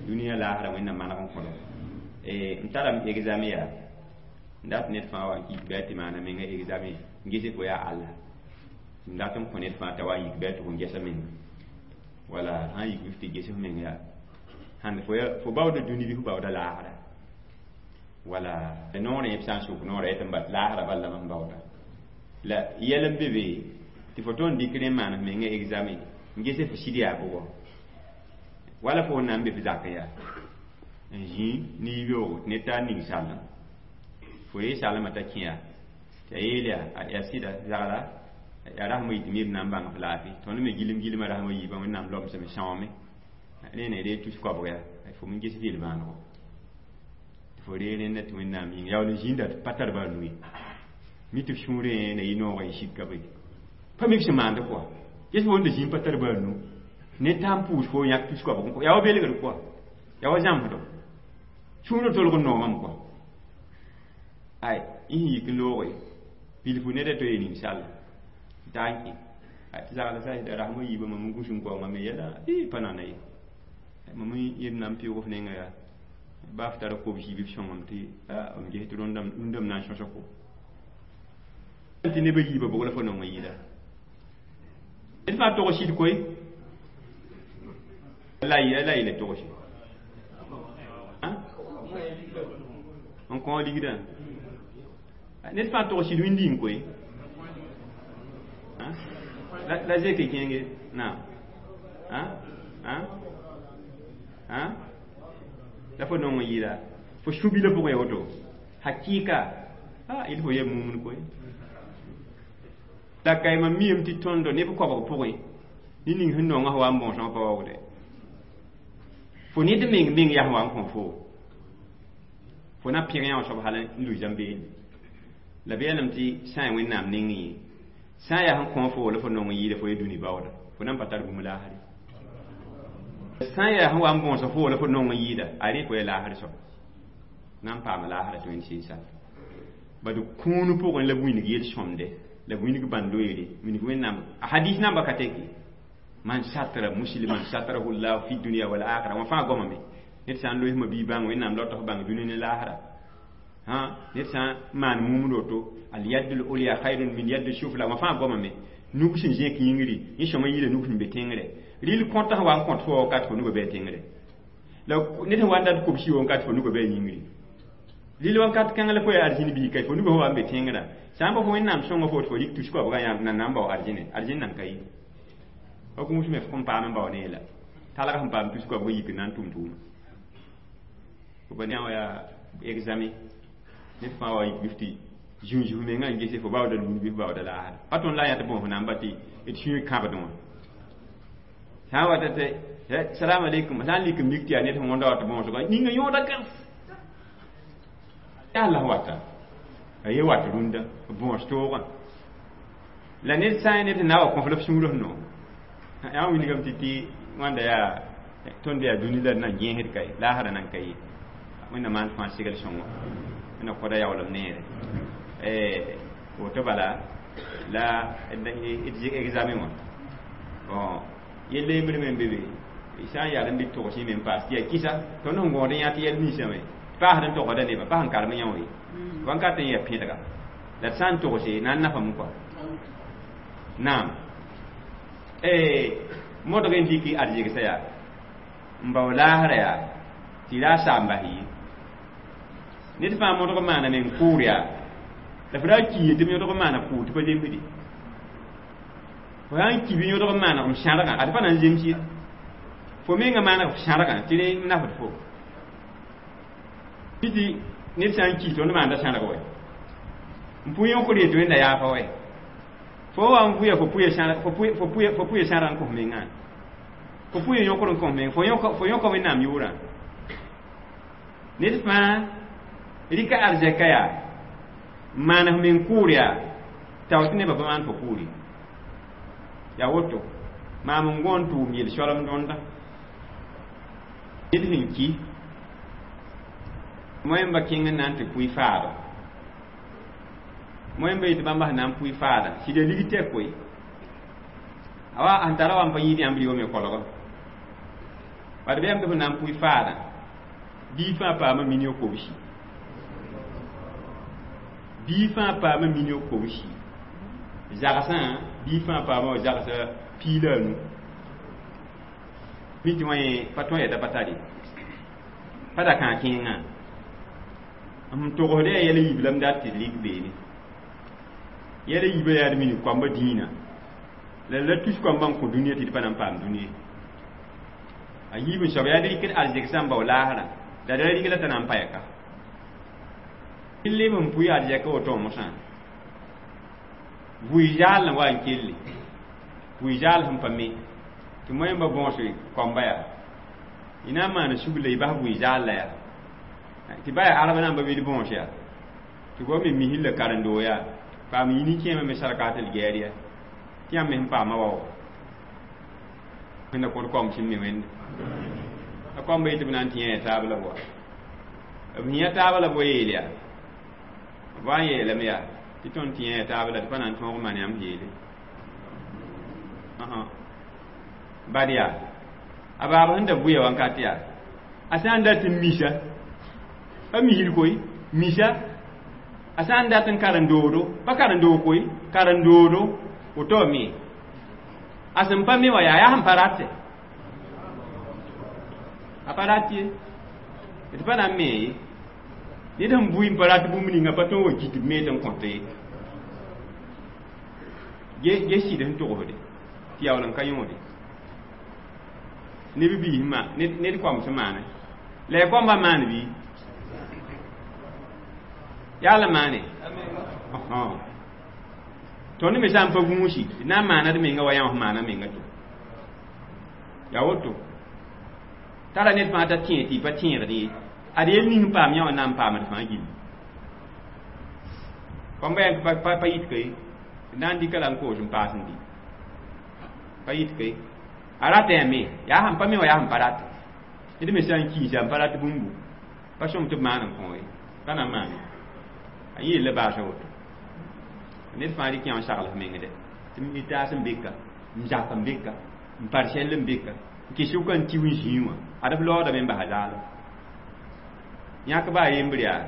S1: dũniyã laasrã Wẽnnaam maneg n kõdo n tarame examen yaa n dat ned fãa wa n kik bɩ a tɩ maana menga examen n ges fo yaa alla n dat n kõ ned fãa t'a wa n yik bɩ a tʋg n gesa menga wala sã n yik bɩ f tɩ ges f meng yaa sãn fo baooda dũni bɩ fo baooda laasra wala noorẽ b sã n sʋk noorã yetɩ n bat laasra bal la mam baooda la yɛl n be be tɩ fo tõnd dɩk rẽ n maan f menga examen n ges f sɩd yaa bʋgɔ wala fo na n be f zakẽ yaa n zĩ ne yibeoogo tɩ ned taa ning sallem fo ree salmã t'a kẽ yaa tɩ a yeel yaa yaa sɩda zagla yaa rasmã yitɩ me b na n bãng f laafɩ tõnd me gilem gilmã rasmã yiibã Wẽnnaam lobsame sõame rẽne ree tus koabg yaa fo me ges f yel-bãanego tɩ fo ree rẽnda tɩ Wẽnnaam yĩnga yaool n zĩnda tɩ pa tar baa nu ye mi tɩ f sũurẽ na yɩ noogã y sika be pa mi f sẽn maande kɔa ges fo wẽnda zĩig pa tar baa nu ned t'a n pʋʋs fo yãk tus koabg n kɔ yaa wa belgr kɔa yaa wa zãmsdo sũurã tolg n noomame kɔa ay y sẽn yik n looge bilfu neda to ye ning-sall t'a n kẽ tɩ zagla sa da rasmã yiibã mam n gũs n kao mam me yɛla pa nana ye mam yed na n pɩʋg f nenga yaa Baa f tara kobsi bɩ f sõngame tɩ m ges tɩ rũndame na n sõsa fo tɩ nebã yiibã bʋg la fo nong n yɩɩda ned fãa tog sɩd koe la la yɩla togse n kõ ligdã ned fãa tog sɩd wĩndiim koe la zeke kẽenge naam la fo nong n yɩɩda fo sũ-bilã pʋgẽ woto hakɩɩka il fo yɛ mumd koe la kaima miyame tɩ tõndo neb koabg pʋgẽ ne ning sẽn nongã wa n bõosã pa waoogde fo ned meng meng yaa sẽn wa n kõ fo fo na pẽg yã soab hal n lui zãm-beene la b yeelame tɩ sã n Wẽnnaam neng yẽ sã n yaa sẽn kõ fo la fo nong n yɩɩda fo ye dũni baooda fo nan pa tar bũmb laasre sã n yaa sẽn wa n bõosa fo la fo nong n yɩɩda a rẽ fo ya laasr soab na n paama laasra tɩ Wẽnd sɩɩ sal bad kũun pʋgẽ la b wilg yel-sõmde la b wilg bãn-loeere wilg Wẽnnaam a hadis namba ka teki man satara musliman satarahu llahu fi dunia wal akhira wã fãa goamame ned sã n loeesmã bii bãng Wẽnnaam la tɩ f bãng dũni ne laasra ned sã n maan mumd woto al yadul ulya khayrun min yaddi sufla wã fãa goamame nug sẽn zẽk yĩngri yẽ sõma yɩɩda nug sẽn be tẽngre rɩl kõta sẽn wa n kõt fo wakat fo nugã bɩ a tẽngre la ned sẽn wa n dat kobsi wakat fo nugã bɩ a yĩngri rɩl wakat kãng la fo yaa arzĩn bii ka fo nugã sẽn wa n be tẽngrã sã n pa fo Wẽnnaam sõnga fo tɩ fo rɩk tus koabgã yãmb na n bao arzĩne arzĩn nan ka yi fa gũus me f kõn paam n bao ne la talg sẽn paam tus koabgã yik n na n tʋm tʋʋma fo pa yã wa yaa examen ned fãa wa yik bɩ f tɩ zũnzuf mengã n gese fo baooda lũnd bɩ f baooda laasra pa tõnd la a yã tɩ bõos namba tɩ d sũyẽ kãbdẽ wã sã n wata tɩ salam aleykum sã n lik n mik tɩ yaa ned sẽn wõnda wa tɩ bõosga ninga yõoda gãs yaa la wata a ye wat rũndã bõos toogã la ned sã n ned sẽn na wa kõf la f sũurã sẽn noog yaa wilgame tɩ tɩ wãnda yaa tõnd yaa dũni la d nan gẽesd ka ye laasrã nan ka ye Wẽnnaam maan fãa segl sõngo Wẽnna kõda yaoolem neere woto bala la d examen wã bon yell yembr me n be be sã n yaa n dɩk togs me n paas tɩ yaa kɩsa tõnd sẽn gõod n yã tɩ yɛl ninsã me paasd n togsda nebã pa sẽn karem yã wã ye wãnkat n yaa pẽdga la d sã n togse na n nafame kɔa naam modg n dɩk arzegsã yaa n bao laasrã yaa tɩ ra a saam bas ye ned fãa modg maana meng kʋʋr yaa la fo raa ki ye tɩ b yõdg maana kʋʋr tɩ pa zemsde fo sã n ki bɩ yõdg maanegm sãrgã ad pa na n zems ye fo mengã maaneg f sãrgã tɩ rẽ nafd fo tɩ ned sã n ki tõnd maanda sãrg wɛ n pʋ yõkr ye tɩ Wẽnda yaafa wɛ fo wa n vʋya fo pʋya sãrg n kõ f mengã fo pʋya yõkr n kõ f meng fo yõka Wẽnnaam yʋʋrã ned fãa rɩka arzɛka yaa maan f meng kʋʋr yaa tao tɩ nebã pa maan fo kʋʋr ye yaa woto maam n gõ n tʋʋm yel-soalem dõnda ned sẽn ki moẽmba kẽng n na n tɩ pʋɩ faada moẽmba yetɩ bãmba sẽn na n pʋɩ faada sɩda lig tɛk koe a wa sẽn tara wa n pa yĩid yãmb rɩ me kolgã bad bɩ yãmb tɩ f na n pʋɩ faada bii fãa paama million kobsi bii fãa paama million kobsi zagsã bii fãa paama zagsã pii la a nu mi tɩ wã yẽ pa tõe yɛta pa tare pa da kãa kẽengã m togsd yaa yɛl yiib la m dat tɩ d rɩk beene yɛl yiibã yaa d mini koamba dĩinã la la tus koambã n kõ dũniyã tɩ d pa na n paam dũniye a yiib n soab yaa d rɩkd arzegsã n bao laasrã la d ra rɩk la t'a na n pa yɛka leb n pʋɩ arzɛka woto mosã vʋɩ zaal n wa n kelle vʋɩ zaal sẽn pa me tɩ moẽmba bõos koamba yaa y na n maana sugl la y bas vʋɩ zaal la yaa tɩ ba yaa arab namba bɩ d bõos yaa tɩ goam me misl la karen-doo yaa paam yĩni kẽemã me sarkat l gɛɛr yaa tɩ yãmb me sẽn paama wao Wẽnda kõt koam sẽn me wẽnde a koamba yetɩ b na n tɩ yã taab la boa b yã taab la boa yeel yaa b wa n yeelame yaa tɩ tõnd tɩ yã taab la tɩ pa na n tõog n maan yãmb yeele bad yaa a baab sẽn da vʋya wãnkat yaa a sã n dat n misa Pa misd koe, misa a sã n dat n karen-doodo, pa karen-doog koe, karen-doodo, woto me. A sẽn pa me wã yaa yaa sẽn pa rat a pa rat ye. D pa na n me ye. Ned sẽn bʋɩ n pa rat bũmb ninga pa tõe n wa kit b me tɩ n kõt ye. Ge sɩd sẽn togsde tɩ yaool n ka yõode. Neb biis ma ned koam sẽn maane. La ya koambã maan bɩ? Yaa la maane? Tõnd me sã n pa gũusi, d na n maana d menga wa yã f maana menga to. Yaa woto. Tara ned fãa t'a tẽeg tɩ y pa tẽegd ye. Ad yel ning n paam yã wã na n paamd fãa gilli. Koambã yãng pa yit ka ye. D na n dɩka la n koos n paas n dɩ. Pa yit ka ye. A rata yaa me, yaa sẽn pa me wã yaa sẽn pa rat. Ned me sã n kiisa n pa rat bũmbu, pa sõm tɩ b maan n kõ ye. Pa na n maane. A yẽ yella baasa woto. Ned fãa rɩk yã n sagl f meng dɛ. Tɩ m taas n beka, m zak n beka, m par sɛll n beka, n kɩs sʋka n tiw n zĩig wã. Ad f laoodame n basa zaalem. Yãk baa yembr yaa,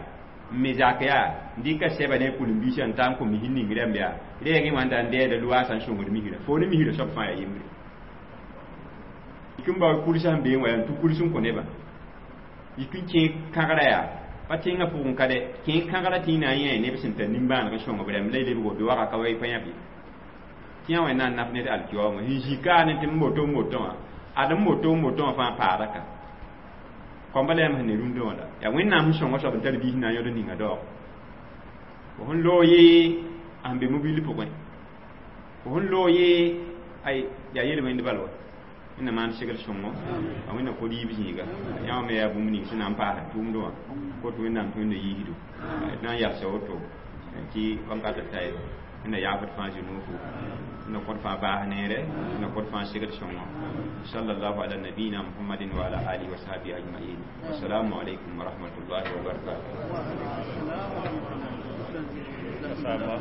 S1: n me zak yaa, n dɩka sɛba ne a kʋlem-biisã n ta n kõ misr ning rãmb yaa, rɛɛgẽ wã n da n dɛɛda loaasã n sõngd misrã. Fo ne misrã soab fãa yaa yembre. Yik n bao kulsã sẽn beẽ wã yaa n tũ kuls n kõ nebã. Yik n kẽ kãgrã yaa, pa tẽngã pʋgẽ ka dɛ, kẽ kãgrã tɩ y na n yẽ neb sẽn tar nimbãaneg n sõng b rãmb la y lebgo bɩ waga ka wa y pa yãb ye. Tɩ yã wẽnnaam naf ned alkiwaoongã sẽn zĩ kaane tɩ m moto n moto wã, ad m moto n moto wã fãa paada ka. Koamba la yãmb sẽn ne rũndã wã la. Yaa Wẽnnaam sẽn sõng soab n tar biis na n yõd n ninga daoog. Fo sẽn loog yee a sẽn be mobil pʋgẽ. Fo sẽn loog yee ay yaa yel-wẽnd bal wa. Wẽnnaam maan segl sõngo, a Wẽnnaam kod yiib zĩiga. Yã wã me yaa bũmb ning sẽn na n paasa tʋʋmdẽ wã. Kot Wẽnnaam tɩ Wẽnna yiisdo. D na n yalsa woto tɩ wãnkat ta ye. Wẽnna yaafd fãa zĩ-noofo. Wẽnna kõt fãa baas neere, Wẽnna kõt fãa segl sõngo. Sallallahu ala nabiyina Muhammadin wa ala alihi wa sahbihi ajma'in. Wassalamu alaikum wa rahmatullahi wa barakatuh.
S2: Mashallah.